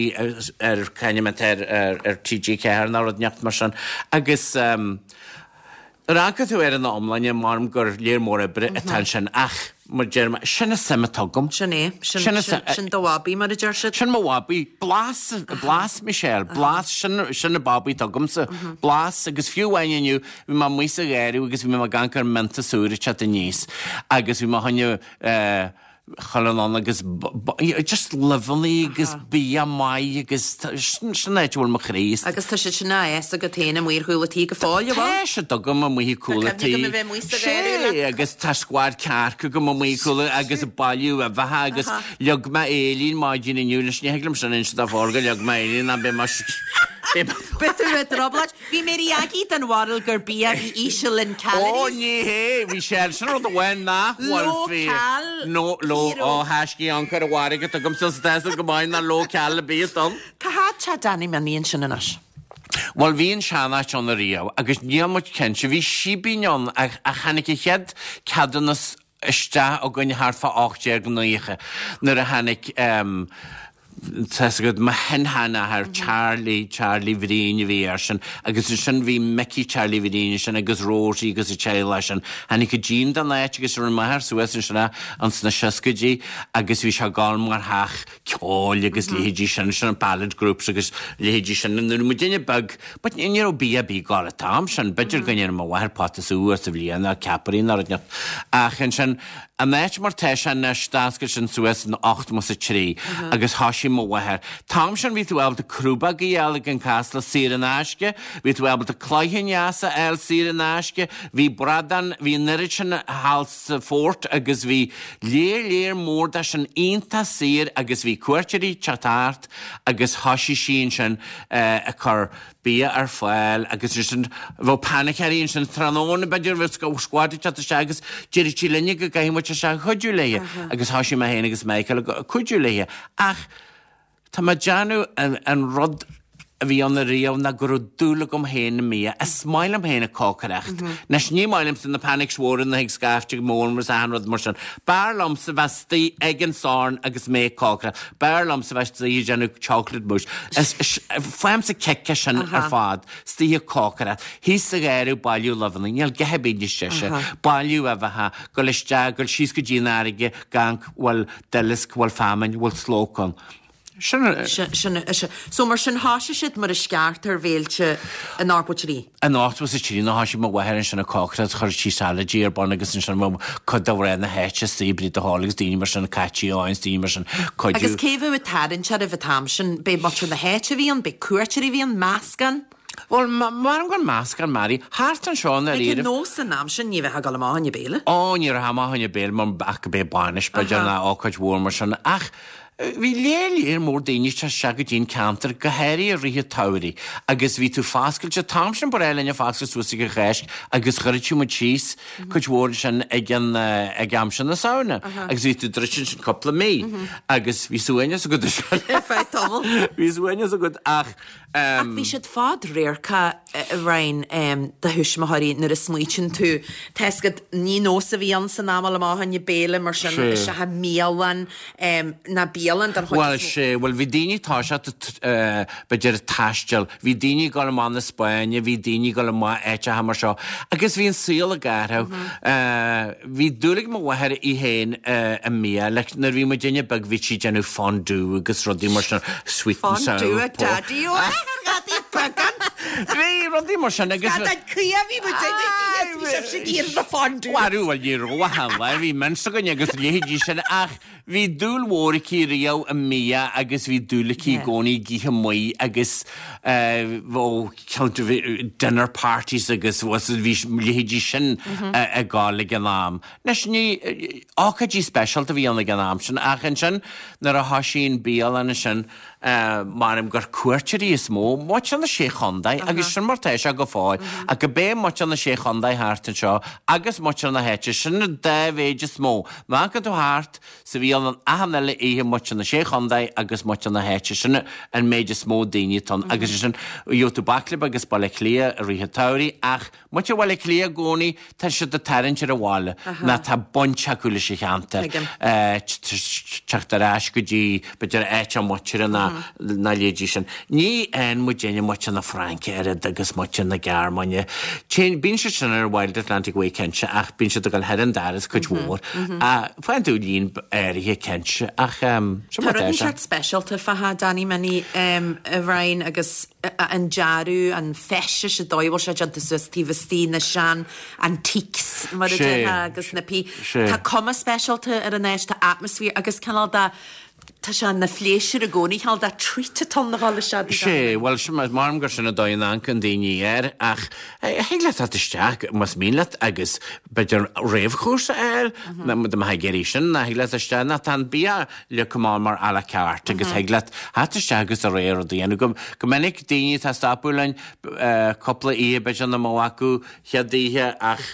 ar, c'ainm atá air, ar T G ceathair nó rud inteacht mar sin. Agus nuair a amharcann tú air ina iomláine, maram gur léar mór oibre atá ansin ach, mar deir mé, sin an suim atá agam. Sin é. Sin, sin, sin do bhabaí, mar a deir siad. Sin mo bhabaí. Blas, blas, Michelle, blas, sin, sin an babaí atá agamsa. Blas agus fiú amháin inniu, bhí mé amuigh sa gharradh agus bhí mé ag amharc ar an mionta úr ag teacht aníos agus bhí mé fá choinne eh, chuile ann agus just luibheanna agus bia maith agus sin an áit a bhfuil mo chroí. Agus tá siad sin á fhás agat féin amuigh ar chúl an tí go fóill, an bhfuil? Tá siad agam amuigh ar chúl an tí. Tá cuimhne agam a bheith amuigh sa gharradh leat. Sé, agus tá scuad cearc agam amuigh ar chúl agus ag bailiú uibheacha agus leag mé éillín maidin inniu, anois ní thig liom sin a inse do Pháraic gur leag mé éillín ná beidh mé Beidh tú i dtrioblóid. Bhí Mary Aggie den bharúil gur bia a bhí íseal in calories. Ó ní hé, bhí sé sin rud amháin nach bhfuil Low fíor. cal No, low, hero. ó thaiscí ancair a mhairg atá agam sa tástáil go maith ná low cal a bíos dom. Cá háit tá Danny Minnie ansin anois? Bhuel bhí an seanáit ann ariamh agus níl muid cinnte, bhí síbín ann ach tháinig an chéad ceadúnas isteach againn thart fá ocht déag naocha nuair a tháinig Tá's agat mo shin-sheanathair Charlie, Charlie Bhriain a bhí air sin agus ansin bhí Mickey Charlie Bhriain ansin agus Rosie agus a teaghlach sin. Tháinig go dtí'n don áit agus rinne m'athair suas ansin é ins na seascaidí agus bhí sé ag gabháil mar theach ceoil agus leithéidí sin, sin ballad groups agus leithéidí sin. Nuair a bhí muidinne beag, but ní raibh bia ar bith ag gabháil an t-am sin, b'fhéidir go ndéanadh mo mháthair pota sú uair sa bhliain nó ceapairí nó rud inteacht. Ach ansin, an áit mar tá sé anois, d'oscail sin suas in ochtó is a trí agus thoisigh mo mháthair. T-am sin bhí tú ábalta crúbóg a fháil ag an Casla saor in aisce, bhí tú ábalta cloicheann dheas a fháil saor in aisce, bhí bradán, bhí an oiread sin thall sa Phort agus bhí léar léar mór de sin iontach saor agus bhí cuairteoirí teacht thart agus thoisigh sí ansin ag cur bia ar fáil agus ansin bheadh painicéirí ansin tráthnóna b'fhéidir bheadh squad ag teacht isteach agus deireadh sí linne go gcaithfidh muid isteach a chuidiú léi agus thoisigh mé féin agus Michael ag cuidiú léi ach tá mé ag déanamh an rud a bhí ann ariamh ná go raibh dúil agam féin i mbia. Is maith liom féin ag cócaireacht. Anois ní maith liomsa na panics mhóra na ag scaifte mór mar is achan rud mar sin. B'fhearr liomsa bheith istigh ag an sorn agus mé ag cócaireacht. B'fhearr liomsa bheith istigh ag déanamh chocolate mousse. Is, is, faighimse kick as sin ar fad. Istigh ag cócaireacht. Thíos sa gharradh bailiú luibheanna. Níl a dhath ar bith níos deise. Bailiú uibheacha, gabháil isteach, gabháil síos go dtí an fharraige, amharc bhfuil duileasc, bhfuil feamainn, bhfuil slóc ann. Sin Sin, sin, so mar sin thoisigh siad mar is ceart ar bhéilte in ochtó trí. In ochtó is a trí ná thoisigh mo mháthair ansin ag cócaireacht, chuir sí salaidí ar bun agus ansin bheadh cuid de mhná na háite istigh, Bríd de hÓil agus daoine mar sin, Caití Eoin, daoine mar sin, cuidiú. Agus cé bheadh ag tarraingt oraibh an t-am sin? B'é muintir na háite a bhí ann, b'é cuairteoirí a bhí ann, meascán? Bhuel, maram gur meascán, Mary, thart anseo i ndáiríre. Ag an nós san am sin ní bheifeá ag dul amach chun béile. Ó, ní raibh amach chun béile mar ach go b'é bainis, b'fhéidir, nó ócáid mhór mar sin. Ach bhí léir léir mór daoine ag teacht isteach go dtí an ceantar, go háirithe i rith an tsamhraidh, agus bhí tú foscailte, an t-am sin ba ghnách linn foscailt suas ag an Cháisc agus dhruidteadh muid síos cuid mhór ansin ag an, ag am sin na Samhna agus bhí tú druidte ansin cúpla mí agus bhí suaimhneas agat ansin. Ar feadh tamaill. Bhí suaimhneas agat ach. Ach bhí siad fadradharcach, a Ryan, do thuismitheoirí nuair a smaoitíonn tú. Tá fhios agat, ní nós a bhí ann san am dul amach chun béile mar sin, isteach i mbialann, ná bialann den chuid Bhuel, is mó. sé, bhuel bhí daoine toiseacht, b'fhéidir ag taisteal, bhí daoine ag dul amach na Spáinne, bhí daoine ag dul amach áiteacha mar seo agus bhí an saol ag athrú. Bhí dúil ag mo mháthair í féin i mbia, like nuair a bhí muidinne beag bhí sí ag déanamh fondue agus rudaí mar sin, sweet and sour Fondue a pork. Daddy ó Bhí rudaí mar sin agus. Scadán caoi a bhí muid ag ithe bhí sibhse ag iarraidh na fondue. Bhuel, bhuel, ní raibh ach an lá, bhí mince againn agus leithéidí sin ach bhí dúil mhór aici riamh i mbia agus bhí dúil aici i gcónaí ag ithe amuigh agus bheadh dinner parties agus bhí leithéidí sin ag gabháil ag an am. Anois ní, ócáidí speisialta a bhí ann ag an am sin ach ansin nuair a thoisigh an bialann ansin Maram gur cuairteoirí is mó, muintir na Sé Chontae, agus sin mar tá sé go fóill, ach go b'é muintir na Sé Chontae thart anseo agus muintir na háite, sin an dá mhéid is mó. Má amharcann tú thart sa bhialann achan uile oíche muintir na Sé Chontae agus muintir na háite, sin an méid is mó daoine atá ann. Agus ansin, gheobhaidh tú baicle beag as Baile Átha Cliath i rith an tsamhraidh ach muintir Bhaile Átha Cliath i gcónaí, tá siad ag tarraingt ar an bhaile ná tá baint acu leis an cheantar, teacht ar ais go dtí, b'fhéidir, áit a muintire ná na leithéidí sin. Ní fhaigheann muidinne muintir na Fraince oiread agus muintir na Gearmáine. Téann, bíonn siad sin ar Wild Atlantic Way cinnte ach bíonn siad ag dul thar an doras cuid mhór. Faigheann tú líon áirithe cinnte ach sin Tá mar rud atá sé. inteacht speisialta fá Danny Minnie, a Ryan, agus an dearadh, an feisteas, an dóigh a bhfuil sé déanta suas taobh istigh, na sean antiques mar a déarfá agus na pí. Tá cuma speisialta ar an áit, tá atmaisféar agus cineál de, tá sé ina phléisiúr i gcónaí, cineál de treat atá ann a dhul isteach dtí Sé, bhuel, sin, maram gur sin an dóigh a n-amharcann daoine air ach thig leat teacht isteach más mian leat agus b'fhéidir réamhchúrsa a fháil, dá mbeifeá ag iarraidh sin, ná thig leat isteach, ná tá an bia leagtha amach mar à la carte agus thig leat theacht isteach agus do rogha rud a dhéanamh. Go, go minic daoine atá ag stopadh linn cúpla oíche b'fhéidir nach mbeadh acu chéad oíche ach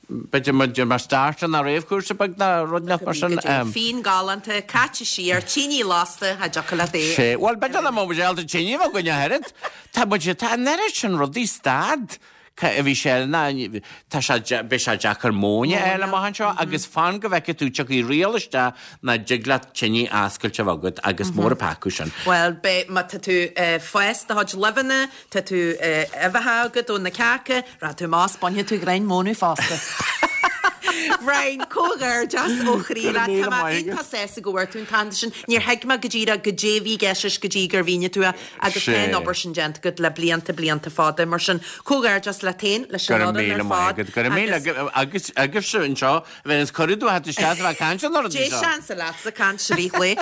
b'fhéidir mar, mar starter ná réamhchúrsa beag ná rud inteacht mar sin. Fíon galánta, caite siar, tine lasta, cha dtiocfadh leat é. Sé, bhuel b'fhéidir nach mbeadh muid ábalta tine a bheith againn ach oiread. Tá muid, tá an oiread sin rudaí stad. Bhí sé ná tá sé beidh sé deacair móin a fháil amach anseo agus fan go bhfeicfidh tú tiocfaidh riail isteach nach dtig leat tine oscailte a bheith agat agus mór an peaca sin. Bhuel, beidh má tá tú fás do chuid luibheanna, tá tú uibheacha agat ó na cearca, rachaidh tú amach is bainfidh tú greim mónadh fosta. Brian, comhghairdeas ó chroí leat. Tá mé iontach sásta go bhfuair tú an t-aitheantas sin. Níor thuig mé go díreach goidé a bhí i gceist leis go dtí gur mhínigh tú é agus tá an obair sin déanta agat le blianta blianta fada. Mar sin, comhghairdeas leat féin, leis an Go raibh fhoireann míle ar maith fad agat. Go raibh míle agus agus agaibhse anseo a bheith is cuireadh dom theacht isteach a bheith ag caint an oiread Dé seo. seans leatsa caint i rith lae.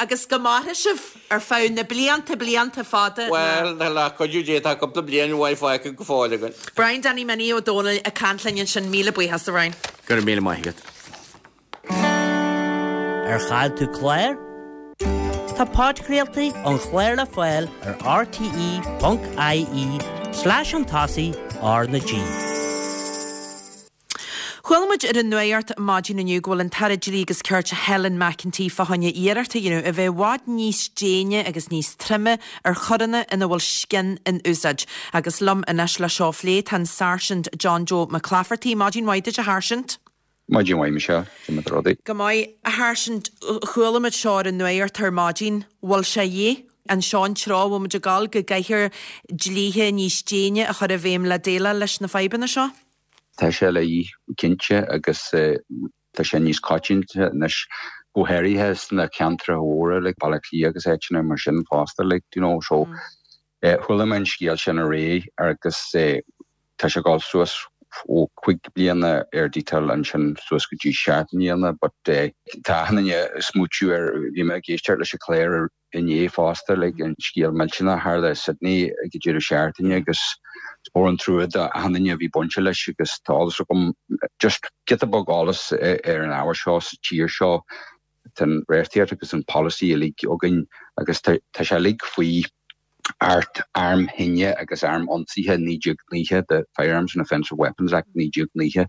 Agus go maire sibh ar feadh na blianta blianta fada. Bhuel, le cuidiú Dé tá cúpla bliain mhaith fágtha go fóill againn. Brian Danny Minnie Ó Dónaill ag caint linn ansin míle buíochas a Bhriain. Go raibh míle maith agat. Ar chaill tú clár? Tá podchraoltaí an chláir le fáil ar rte ponc ie slash an tosaigh R na G. Chuala muid ar an nuacht maidin inniu go bhfuil an tAire Dlí agus Cirt Helen McEntee fá choinne iarracht a dhéanamh a bheith i bhfad níos déine agus níos troime ar choireanna ina bhfuil scian in úsáid. Agus liom anois le seo a phlé tá an Sáirsint John Joe McClafferty, Maidin mhaith duit a Sháirsint. Maidin mhaith Michelle, Cad é rudaí. Go maith a Sháirsint chuala muid seo ar an nuacht ar maidin, bhfuil sé dhé an seo an treo bhfuil muid ag gabháil go gcaithfear dlíthe níos déine a chur i bhfeidhm le déileáil leis na fadhbanna seo? Tá sé le dhíth cinnte agus tá sé níos coitianta anois go háirithe sna ceantracha móra le Baile Átha Cliath agus áiteanna mar sin fosta like, you know, so mm. eh, chuala mé an scéal sin aréir agus eh, tá sé ag dul suas ó cúig bliana ar dítal ansin suas go dtí seacht mbliana, but eh, tá achan duine ag smaointiú ar bhí mé ag éisteacht leis an chlár inné fosta le an scéal millteanach a tharla Sydney ag deireadh seachtaine agus mór an trua do achan duine a bhí bainte leis agus tá agam just giota beag eolas ar an ábhar seo sa tír seo tá an reachtaíocht agus an policy uilig againn agus tá sé uilig faoi Acht Arm Thine agus Arm Ionsaithe naoi déag nócha the Firearms and Offensive Weapons Act naoi déag nócha.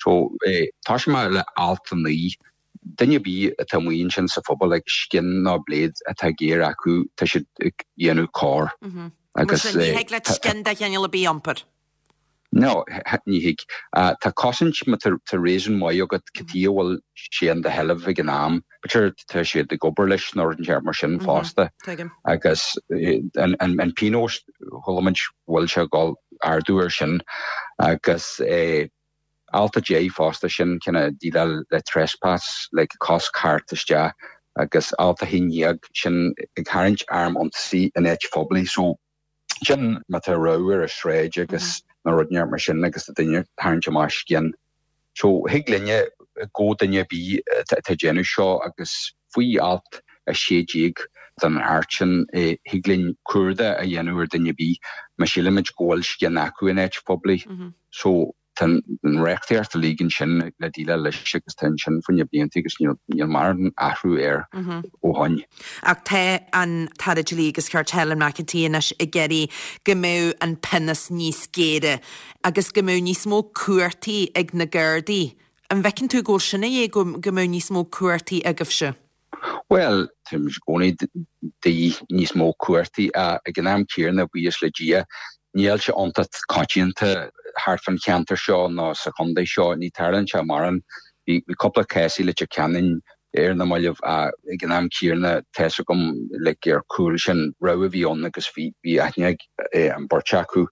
So eh, tá sé le alt a naoi duine ar bith atá amuigh ansin sa phobal ag scian nó bléad atá géar acu tá siad ag déanamh coir. Agus ní thig le scian de chineál ar bith a iompar. No, ní thig. Tá cosaint má tá réasún maith agat cad chuige a bhfuil sé in do sheilbh ag an am, B'fhéidir tá siad ag obair leis nó rud mar sin fosta. Agus an, an, an pionós chuala muid bhfuil sé ag dul ardú ar sin agus eh, alt a deich fosta sin cinn déileáil le trespass le cosc theacht isteach agus alt a haon déag sin ag tarraingt arm ionsaí in áit phoiblí so sin má tá rabhadh ar an sráid agus na rudaí mar sin agus tá duine tarraingt amach scian. So thig linne go duine ar bith atá déanamh seo agus faoi alt a sé déag den Acht sin thig linn cuardach a dhéanamh ar duine ar bith má sílimid go bhfuil scian acu in áit phoiblí. So tá an reachtaíocht uilig ansin le déileáil leis agus tá sin faoi na blianta agus níl mórán athrú air ó shin. Ach tá an tAire Dlí agus Cirt Helen McEntee anois ag iarraidh go mbeadh an pionós níos géire agus go mbeadh níos mó cumhachtaí ag na Gardaí. An bhfeiceann tú go bhfuil sin é go mbeadh níos mó cumhachtaí agaibhse? Well tá gcónaí de níos mó cumhachtaí ag an am céanna buíochas le Dia níl sé iontach coitianta thart fan cheantar seo ná sa chontae seo ní tarlaíonn sé mórán bhí cúpla cás i Leitir Ceanainn ar na mallaibh ag an am céanna tá a fhios agam le ar cúl sin rabhadh a bhí ann agus bhí bhí aithne an bheirt acu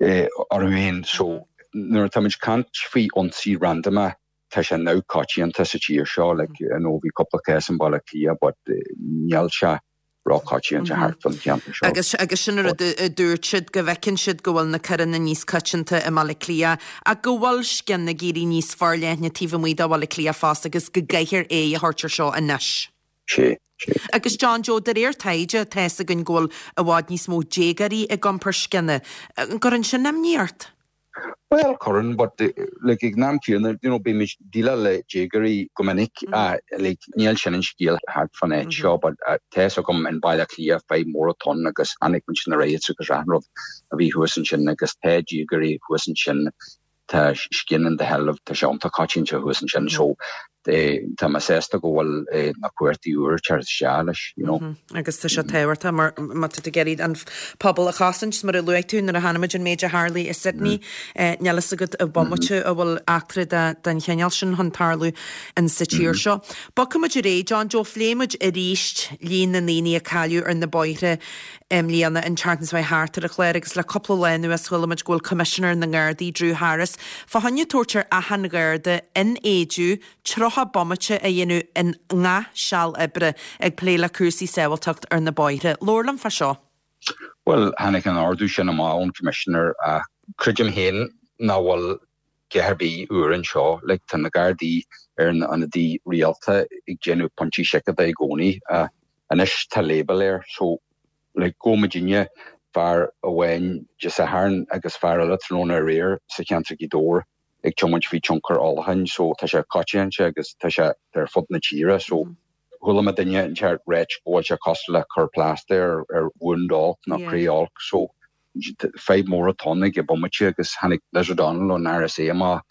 orthu féin so nuair atá muid caint faoi ionsaí randama tá sé neamhchoitianta sa tír seo like nó bhí cúpla cás in Baile Átha Cliath but níl sé róchoitianta thart fan cheantar seo. Agus agus sin rud a dúirt siad go bhfeiceann siad go bhfuil na coireanna níos coitianta i mBaile Átha Cliath ach go bhfuil scian ag éirí níos forleithne taobh amuigh de Bhaile Átha Cliath fosta agus go gcaithfear é a thabhairt ar seo anois. Sé. Agus John Joe de réir taighde tá a fhios againn go bhfuil i bhfad níos mó déagóirí ag iompar scianna. An gcuireann sin imní ort? Well cuireann but like ag an am céanna you know bímid ag déileáil le déagóirí go minic uh, like níl sin an scéal thart fan áit seo but uh, tá a fhios agam in Baile Átha Cliath fadhb mór atá ann agus chonaic muid na riots agus achan rud a bhí thuas ansin agus tá déagóirí thuas ansin tá scian in do sheilbh tá sé iontach coitianta thuas ansin so tá mé sásta go bhfuil na cumhachtaí úr ag teacht isteach leis, you know. Agus tá sé tábhachtach mar má tá tú ag iarraidh an pobal a chosaint, mar a luaigh tú nuair a chonaic muid an méid a tharlaigh i Sydney, níl fhios agat an bomaite a bhfuil eachtra den chineál sin chun tarlú in sa tír seo. Bogfaidh muid ar aghaidh, John Joe, phléigh muid arís líon na ndaoine a cailleadh ar na bóithre i mbliana an tseachtain seo thart ar an chlár agus le cúpla lá anuas chuala muid go bhfuil Coimisinéir na nGardaí, Drew Harris, fá choinne tabhairt ar achan Gharda in Éidiú tríocha bomaite a dhéanamh i ngach seal oibre ag plé le cúrsaí sábháilteacht ar na bóithre. Labhair liom fá seo. Bhuel, tháinig an ordú sin amach ón Commissioner ach creidim féin nach bhfuil a dhath ar bith úr anseo. Like, tá na Gardaí ar na ionadaí rialta ag déanamh pointí seiceála i gcónaí. Anois tá label air so like gabh muidinne fear amháin Dé Sathairn agus fear eile tráthnóna aréir sa cheantar Ghaoth Dobhair ag tiomáint faoi tionchar ólacháin so tá sé coitianta agus tá sé ar fud na tíre so chuala mé duine inteacht ag ráit go bhfuil sé cosúil le cur plaster ar wound olc nó cré olc so fadhb mór atá ann ag an bomaite agus tháinig Liz O'Donnell ón RSA amach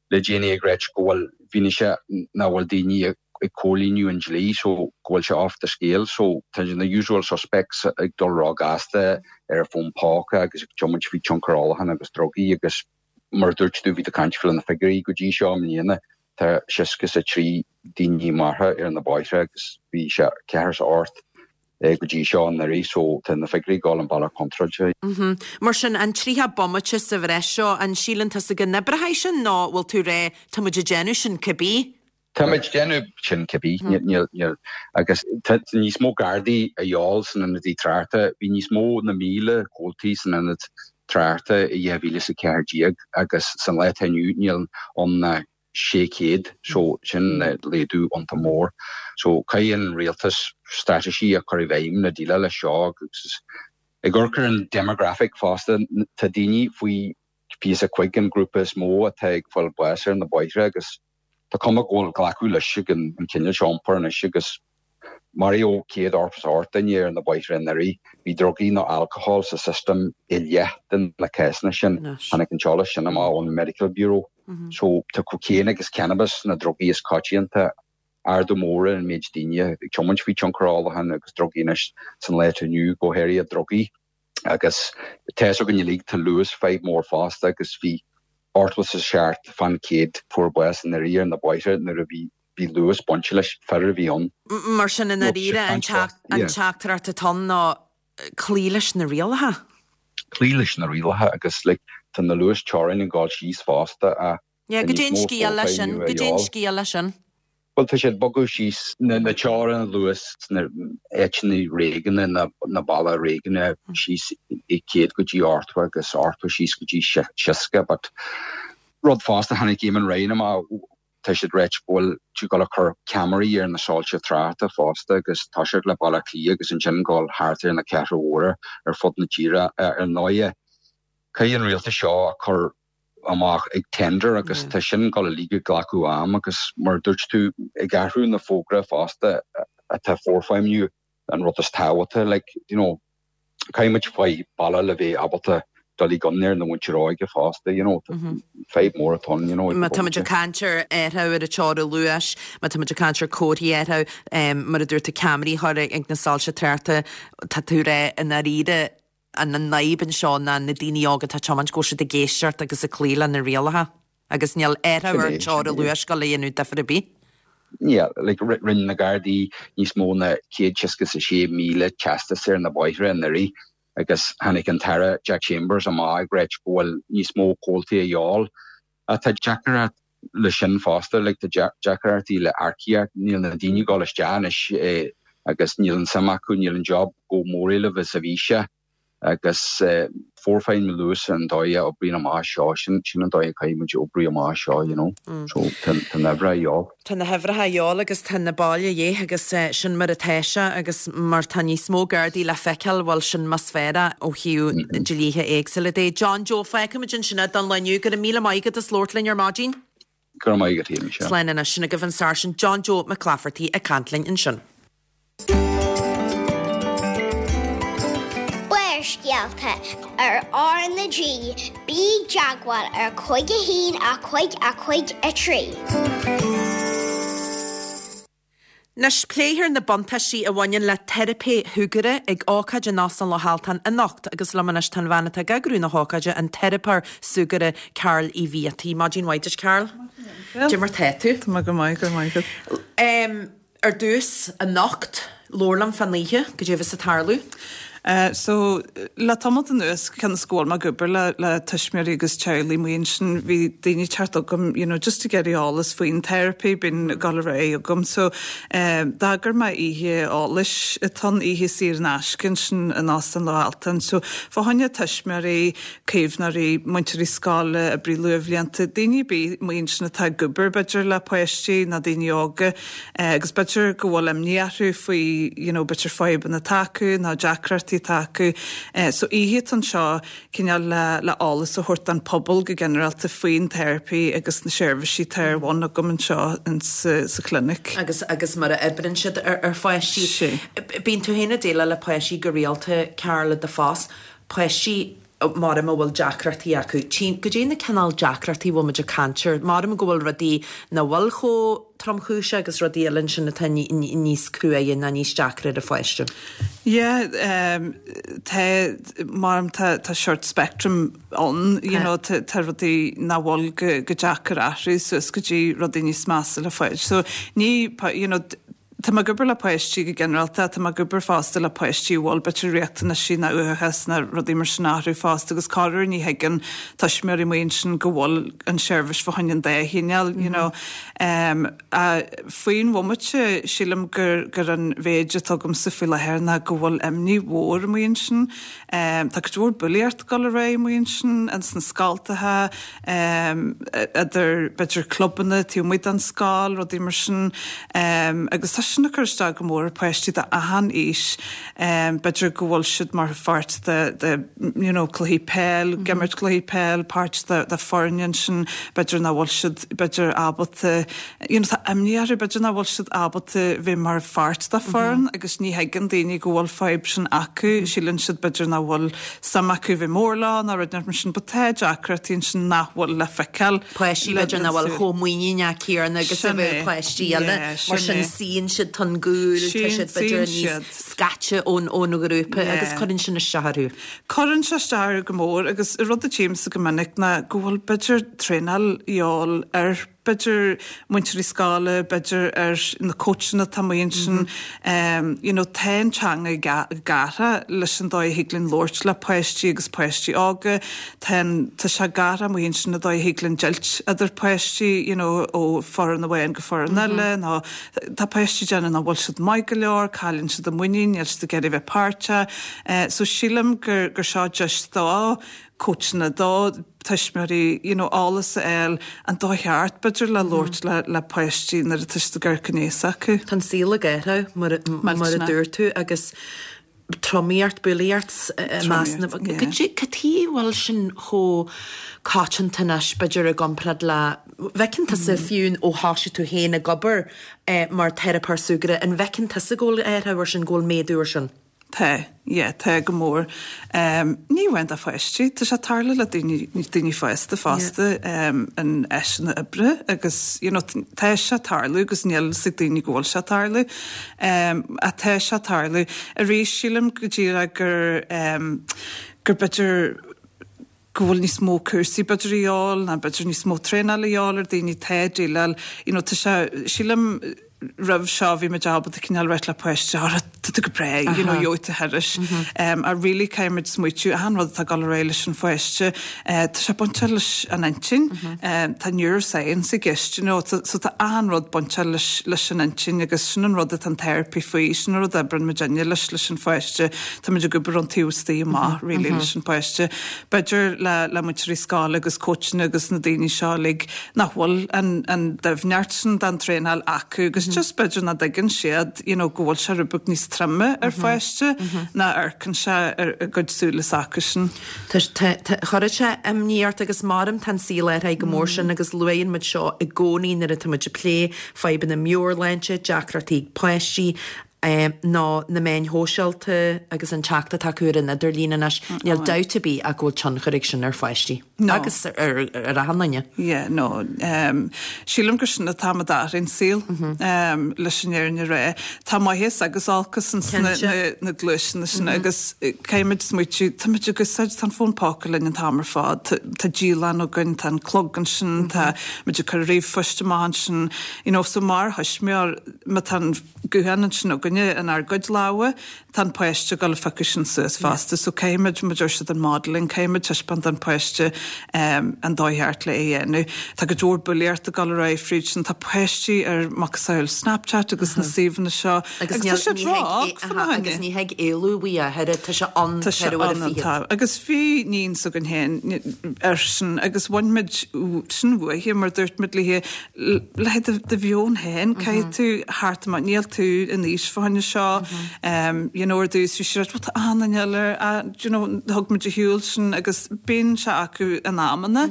le déanaí ag ráit go bhfuil fianaise nach bhfuil daoine ag comhlíonadh an dlí so go bhfuil sé off the scale so tá na usual suspects ag dul ró-ghasta ar a bhfón póca agus ag tiomáint faoi tionchar ólacháin agus drugaí agus mar a dúirt tú bhí tú ag caint faoi na figiúirí go dtí seo i mbliana tá seasca is a trí daoine maraithe ar na bóithre agus bhí sé ceathair is a hocht go dtí seo anuraidh so tá na figiúirí ag dul an bealach contráilte. Mar sin, an tríocha bomaite sa bhreis seo, an síleann tusa go n-oibreoidh sin nó bhfuil tú ag rá tá muid ag déanamh sin cibé? Tá muid ag déanamh sin cibé, níl, níl, agus tá níos mó Gardaí a dhíobháil san ionadaí tráchta, bhí níos mó na míle comhaltaí san ionad tráchta i dhá mhíle is a ceathair déag agus san lá atá inniu níl ann ná sé chéad so sin laghdú iontach mór. So caithfidh an rialtas straitéisí a chur i bhfeidhm le déileáil leis seo agus ag amharc ar an demographic fosta tá daoine faoi fiche a cúig an grúpa is mó atá ag fáil bás ar na bóithre agus tá cuma go bhfuil glacadh leis ag an cineál seo iompair anois agus Maraíodh céad ochtó is a hocht duine ar na bóithre anuraidh. Bhí drugaí nó alcohol sa system i leath de na cásanna sin. Tháinig an t-eolas sin amach ón Medical Bureau. So tá cocaine agus cannabis na drugaí is coitianta. Ardú mór ar an méid daoine ag tiomáint faoi tionchar ólacháin agus drugaí anois san lá atá inniu, go háirithe drugaí. Agus tá fhios againn uilig tá luas fadhb mór fosta agus bhí ochtó is a seacht fán chéad fuair bás anuraidh ar na bóithre nuair a bhí bhí luas bainte leis, fear a bhí ann. Mar sin, i ndáiríre, an teachtaireacht atá ann ná cloí leis na rialacha. Cloí leis na rialacha agus like tá na luas teorainn ag dul síos fosta ach Yeah, goidé an scéal leis sin, goidé an scéal leis sin. Bhuel tá siad ag bogadh síos na na teorainn luas sna áiteanna réigiúnacha na na baile réigiúnacha síos i céad go dtí ochtó agus ochtó síos go dtí seasca but rud fosta tháinig Eamon Ryan amach tá siad ag ráit go bhfuil siad ag dul a cur ceamaraí ar na soilse tráchta fosta agus toiseacht le Baile Átha Cliath agus ansin dul thart ar na cathracha mhóra ar fud na tíre. Ar ndóighe, caithfidh an rialtas seo a chur amach ag tender agus tá sin ag dul uilig ag glacadh am agus mar a dúirt tú ag athrú na fógra fosta atá forfheidhmiú an rud is tábhachtaí like you know caithfidh muid faigh bealach le bheith ábalta dul i gcionn ar na muintir óige fosta you know fadhb mór atá ann you know. Má tá muid ag caint ar athrú ar an teorainn luais, má tá muid ag caint ar comharthaí a athrú, mar a dúirt tú ceamaraí a chur ag na soilse tráchta, tá tú ag rá i ndáiríre an an fhadhb anseo ná na daoine óga atá ag tiomáint go bhfuil siad ag éisteacht agus ag cloí le na rialacha agus níl athrú ar teorainn luais ag dul a dhéanamh difear ar bith. Yeah, like rinne na Gardaí níos mó ná céad seasca is a sé míle teastas ar na bóithre anuraidh agus tháinig an tAire Jack Chambers amach ag ráit go bhfuil níos mó comhaltaí a dhíobháil. Tá deacracht leis sin fosta, like tá deacrachtaí le earcaíocht, níl na daoine ag dul isteach anois agus níl an suim acu, níl an job chomh móréilimh is a bhí sé agus forfheidhmiú luas an dóigh a oibríonn amach seo, sin sin an dóigh a caithfidh muid oibriú amach seo, you know. So tá tá na huimhreacha a dhíobháil. Tá na huimhreacha a dhíobháil agus tá na baill a dhíth agus sin mar atá sé agus mar tá níos mó Gardaí le feiceáil, bhuel sin más féar ó thaobh dlíthe éagsúla de. John Joe, fágfaimid ansin é don lá inniu. Go raibh míle maith agat as labhairt linn ar maidin. Go raibh maith agat féin, Michelle. Slán anois, sin agaibh an Sáirsint John Joe Mac Laifeartaigh ag caint linn ansin. Barrscéalta ar R na G, bí i dteagmháil ar cúig a haon a cúig a cúig a trí. Anois pléifear na buntáistí a bhaineann le teiripe shúgartha ag ócáid in Óstán Loch Altan anocht agus liom anois tá an bhean atá ag eagrú na hócáide, an teiripeoir súgartha Carol Uí Bhiataigh. Maidin mhaith duit Carol. Cad é mar tá tú? Tá mé go maith, go maith. Um, ar dtús anocht, labhair liom fán oíche, cad é a bheas ag tarlú. Uh, so le tamall anuas cionn is go bhfuil mé ag obair le, le tuismitheoirí agus teaghlaigh amuigh ansin bhí daoine ag teacht chugam you know, just ag iarraidh eolas faoin therapy bíonn ag dul ar aghaidh agam. So um, d'eagraigh mé oíche eolais atá oíche saor in aisce ansin in Óstán Loch Altan. So fá choinne tuismitheoirí, caomhnóirí, múinteoirí scoile, oibrí luathbhlianta, daoine ar bith amuigh ansin atá ag obair b'fhéidir le páistí nó daoine óga eh, agus b'fhéidir go bhfuil imní orthu faoi you know, b'fhéidir fadhbanna atá acu nó deacrachtaí atá acu. Eh, so oíche anseo cineál le, le eolas a thabhairt don pobal go ginearálta faoin therapy agus na seirbhísí atá ar bun agam anseo in sa, sa clinic. Agus agus mar a oibríonn siad ar, ar pháistí. Sí. Bíonn tú féin ag déileáil le páistí go rialta Carol i do phost, páistí mar a bhfuil deacrachtaí acu. Cad é na cineál deacrachtaí bhfuil muid ag caint air, mar go bhfuil rudaí nach bhfuil chomh tromchúiseach agus rudaí eile ansin atá níos cruaidhe ná níos deacra ar an pháiste. Yeah, um, tá mar tá tá sort spectrum ann, you know, tá tá rudaí nach bhfuil go, go deacair athrú suas go dtí rudaí níos measa le fáil. So ní you know, Tá mé ag obair le páistí go ginearálta, tá mé ag obair fosta le páistí bhfuil b'fhéidir riachtanaisí nó uathachas nó rudaí mar sin orthu fosta agus corruair ní thuigeann tuismitheoirí amuigh ansin go bhfuil an seirbhís fá choinne an dá chineál, you know. Um, a faoin bhomaite sílim gur gur an mhéid atá agamsa faoi láthair ná go bhfuil imní mhór amuigh ansin. Um, tá cuid mhór bulaíocht ag dul ar aghaidh amuigh ansin ins na scoltacha, um, idir b'fhéidir clubanna taobh amuigh den scoil, rudaí mar sin, um, agus tá sin ag cur isteach go mór ar pháistí de achan aois um, b'fhéidir go bhfuil siad mar pháirt de, de you know, cluichí peil, mm -hmm. ag imirt cluichí peil, páirt de, de foireann sin, b'fhéidir nach bhfuil siad b'fhéidir ábalta you know, tá imní orthu b'fhéidir nach bhfuil siad ábalta bheith mar pháirt de foireann mm -hmm. agus ní thuigeann daoine go bhfuil fadhb sin acu, mm -hmm. síleann siad b'fhéidir nach bhfuil suim acu bheith mór lá ná rud mar sin, but tá deacrachtaí sin nach bhfuil le feiceáil. Páistí b'fhéidir nach bhfuil chomh muiníneach céanna agus a bheadh páistí eile mar sin suíonn siad chun gcúil tá siad b'fhéidir níos scaite ón ón ghrúpa agus cuireann sin isteach orthu. Cuireann sé isteach go mór agus rud a tchímse go minic ná go bhfuil b'fhéidir traenáil de dhíobháil ar b'fhéidir múinteoirí scoile, b'fhéidir ar na coachanna atá amuigh ansin, um, you know, tá an teanga gartha leis an dóigh a thig linn labhairt le páistí agus páistí óga, tá tá sé gartha amuigh ansin an dóigh a thig linn deighilt idir páistí, you know, ó foireann amháin go foireann eile, nó tá páistí déanamh nach bhfuil siad maith go leor, cailleann siad a muinín, níl siad ag iarraidh bheith páirteach. Uh, so sílim gur gur seo just do coachanna do tuismitheoirí you know, eolas a fháil an dóigh cheart b'fhéidir le labhairt le, le páistí nuair atá siad ag amharc aníos acu. Tá an saol ag athrú mar mar a dúirt tú agus tromaíocht bulaíocht meas na Cad chuige a bhfuil sin chomh coitianta anois b'fhéidir i gcomparáid le bhfeiceann tusa fiú ó thosaigh tú féin ag obair mar theiripeoir súgartha an bhfeiceann tusa go bhfuil athrú ar sin go bhfuil méadú ar sin? Tá, yeah, tá go mór. Um, ní amháin do pháistí, tá sé tarlú le daoine daoine fásta fosta um, in áiteanna oibre agus you know, tá sé tarlú agus níl fhios ag daoine go bhfuil sé tarlú. Um, a tá sé tarlú. Arís sílim go díreach gur um, gur b'fhéidir go bhfuil níos mó cúrsaí b'fhéidir de dhíobháil ná b'fhéidir níos mó traenáil de dhíobháil ar daoine tá déileáil you know, tá sé sílim roimh seo bhí muid ábalta cineál rá le páiste tá tú go breá you know, gheobhaidh tú thairis. Um, a really caithfimid smaoitiú an rud atá ag dul ar aghaidh leis an pháiste uh, tá sé bainte leis an intinn um, tá neuroscience i gceist you know, so, so tá an rud bainte leis, leis an intinn agus sin an rud atá an therapy faoi sin an rud a oibríonn muid leis leis an pháiste Tá muid ag obair an taobh istigh amach really leis an pháiste. B'fhéidir le le múinteoirí scoile agus coachanna agus na daoine seo like, nach bhfuil an, an doimhneacht sin den traenáil acu agus just b'fhéidir nach dtuigeann siad you know, go bhfuil sé rud beag níos troime ar pháiste ná amharcann sé ar a gcuid súile acu sin. Chuirfeadh sé imní ort agus maram tá an saol athraithe go mór sin agus luann muid seo i gcónaí nuair atá muid ag plé fadhbanna meabhairshláinte, deacrachtaí páistí, um, ná na meáin shóisialta agus an teacht atá acu ar an idirlíon anois. Níl dabht ar bith ach go bhfuil tionchar ag sin ar pháistí. No. Agus ar ar achan duine. Yeah, no. Um, sílim gur sin atá ag athrú an saol um, leis an fhírinne a rá. Tá maitheas agus olcas ins na, Cinnte. na, na gluaiseanna sin agus eh, caithfimid smaoitiú, tá muid ag úsáid tá an fón póca linn an t-am ar fad, tá tá dialann againn, tá an clog ansin, tá muid ag cur ríomhphoist amach ansin, you know, so mar thuismitheoir má tá an guthán ansin againne in ár gcuid lámha, tá an páiste ag dul a phiocadh sin suas fosta, so caithfimid mar a deir siad an modeling, caithfimid taispeáint don páiste um, an dóigh cheart le é a dhéanamh. Tá go leor bulaíocht ag dul ar aghaidh fríd sin, tá páistí ar macasamhail Snapchat agus na suíomhanna seo. Agus tá siad ró-óg fá na agus choinne. ní thig éalú uaidh a thuilleadh, tá sé ann Tá sé ceithre uair a ann an fiche. t-am. Agus bhí níon s'againn féin ar sin agus bhain muid sin uaithi mar dúirt muid léi le do do mheon féin caithfidh tú theacht amach níl tú in aois fá choinne seo um, you know, ar dtús bhí sí what tá an eile uh, you know, thug muid a shiúl sin agus bíonn sé acu in amanna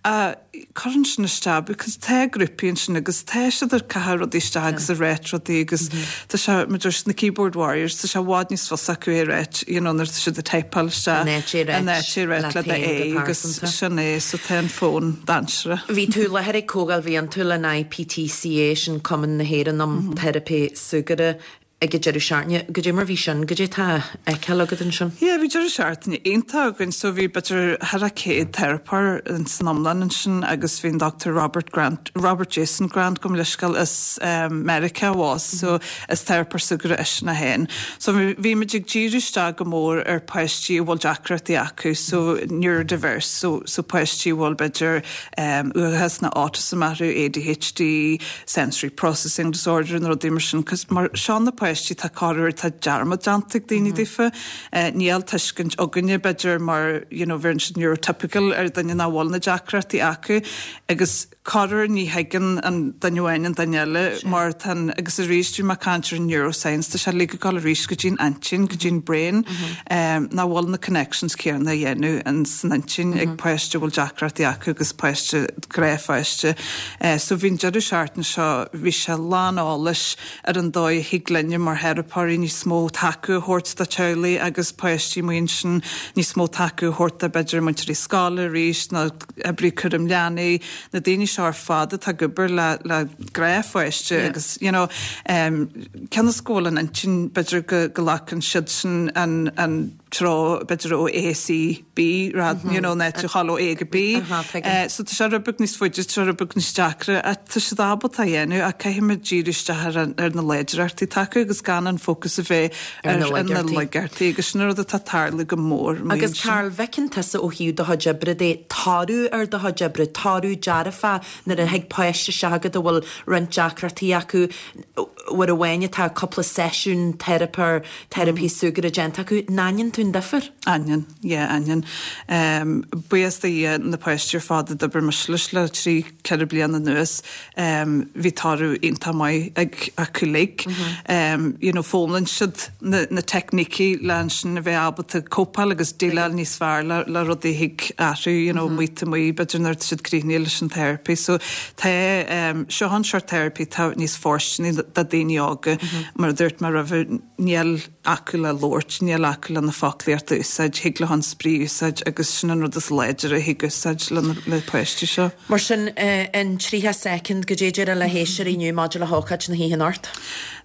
uh, cuireann sin isteach because tá grúpaí ansin agus tá siad ar caitheamh rudaí isteach agus ag ráit rudaí agus tá sé mar deir na keyboard warriors tá sé i bhfad níos fusa acu é ráit you know, nuair tá siad ag typeáil isteach An áit é ráit an áit é ráit leat le féin go é agus pearsanta. sin é so tá an fón dainséarach. Bhí tú i láthair ag comhdháil bhliantúil an IPTCA sin Cumann na hÉireann um Teiripe Súgartha ag an deireadh seachtaine. Goidé mar bhí sin, goidé tá feiceáil agat ansin. Yeah, bhí deireadh seachtaine iontach againn so bhí b'fhéidir thar a céad teiripeoir in san iomlán ansin agus bhí an Dr. Robert Grant, Robert Jason Grant gabh mo leithscéal as um, Meiriceá was, so is teiripeoir súgartha eisean é féin. So bhí bhí muid ag díriú isteach go mór ar páistí a bhfuil deacrachtaí acu, so neurodiverse, so, so páistí a bhfuil b'fhéidir um, uathachas nó autism orthu, ADHD, sensory processing disorder na rudaí mar sin, cos mar seo na páistí tá corruair tá dearmad déanta ag daoine daofa, uh, níl tuiscint againne b'fhéidir mar you know, bheireann siad neurotypical ar duine nach bhfuil na deacrachtaí acu agus corruair ní thuigeann an duine amháin an duine eile mar tá agus arís bhí mé ag caint ar neuroscience tá sé le go arís go dtí'n intinn go dtí'n brain um, nach bhfuil na connections céanna a dhéanamh an san intinn ag páiste a bhfuil deacrachtaí acu agus páiste gnáthpháiste. Uh, so bhí'n deireadh seachtaine seo bhí sé lán eolais ar an dóigh a thig linne mar theiripeoirí níos mó tacú a thabhairt do teaghlaigh agus páistí muin sin níos mó tacú a thabhairt do b'fhéidir múinteoirí scoile arís na oibrí cúram leanaí na daoine seo ar fad atá ag obair le le gnáthpháiste Yeah. agus you know, um, cionn is go bhfuil an intinn b'fhéidir go, go nglacann siad sin an, an treo b'fhéidir ó A C B rad mm -hmm. you know, net chail ó A go B. Aha, tuigim. Uh, so tá sé rud beag níos faide tá sé rud beag níos deacra a tá siad ábalta a dhéanamh ach caithfimid díriú isteach ar, an- ar na láidreachtaí atá acu agus gan an fócas a bheith Ar ar, na ar na laigeartaí. laigeartaí agus sin rud atá ag tarlú go mór. mar Agus sin. Carl bhfeiceann tusa ó thaobh do chuid oibre de toradh ar do chuid oibre, toradh dearfa nuair a thig páiste isteach agat a bhfuil roinnt deacrachtaí acu uair amháin atá cúpla seisiún teiripear teiripí súgartha déanta acu, n-aithníonn tú an difear? Aithním, yeah, aithním. Um, Buíochas do Dhia na páistí ar fad a d'oibir mise leis le trí ceithre bliana anuas um, bhí toradh iontach maith ag acu uilig. Mm -hmm. um, you know, foghlaim siad na, na teicnící le sin a bheith ábalta cópáil agus déileáil níos fearr le, le rudaí thig athrú, you know, mm -hmm. maith b'fhéidir nuair siad críochnaithe leis an therapy. So tá um, seo an sort therapy tá níos fóirsteanaí do daoine óga mm -hmm. mar a dúirt mé roimhe níl acu le labhairt, níl acu le na foclaíocht a úsáid, thig le an spraoi a úsáid agus sin an rud is láidre a thig úsáid le, na- le páistí seo. Mar sin uh, in tríocha soicind goidé a déarfá le héisteoirí inniu maidir le hócáid na hoíche anocht.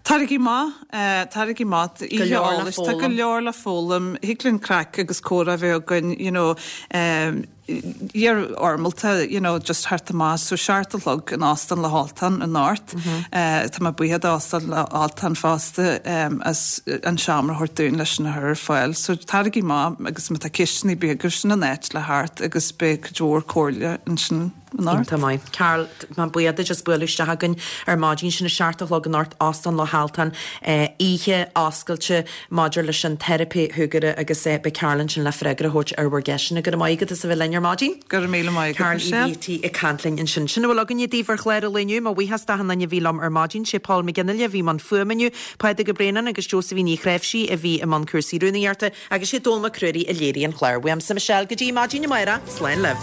Taraigí maith, uh, taraigí maith, Go leor le Tá go foghlaim. leor le foghlaim, thig linn craic agus comhrá a bheith againn, you know, um, fhoirmeálta, you know, just thart amach, so seacht a chlog in Óstán Loch Ultain anocht. Mm -hmm. uh, Tá mé buíoch d'Óstán Loch Ultain fosta um, as an seomra a thabhairt dúinn leis na chur ar fáil. So taraigí maith agus má tá ceisteanna beaga sin an áit le theacht agus beidh cuid mhór comhairle ansin anocht. Iontach maith. Carl má buíochas just bualadh isteach againn ar maidin sin a seacht a chlog anocht Óstán Loch Ultain oíche oscailte maidir leis an teiripe shúgartha agus eh, beidh Carl ansin le freagra a thabhairt ar bhur gceisteanna go raibh maith agat as a bheith linn ar maidin. Go raibh míle maith agat, Carl Michelle. EVT ag caint linn ansin. Sin a bhfuil againne daoibh ar chlár an lae inniu, mo bhuíochas d'achan duine a bhí liom ar maidin sé Paul McGinley a bhí i mbun fuaime inniu, Pádraig Ó Braonáin agus Josephine Ní Chreimhsí a bhí i mbun cúrsaí rúnaíochta agus sé Dól Mac Cruairí a léirigh an chlár. Uaimse Michelle go dtí maidin amárach, slán libh.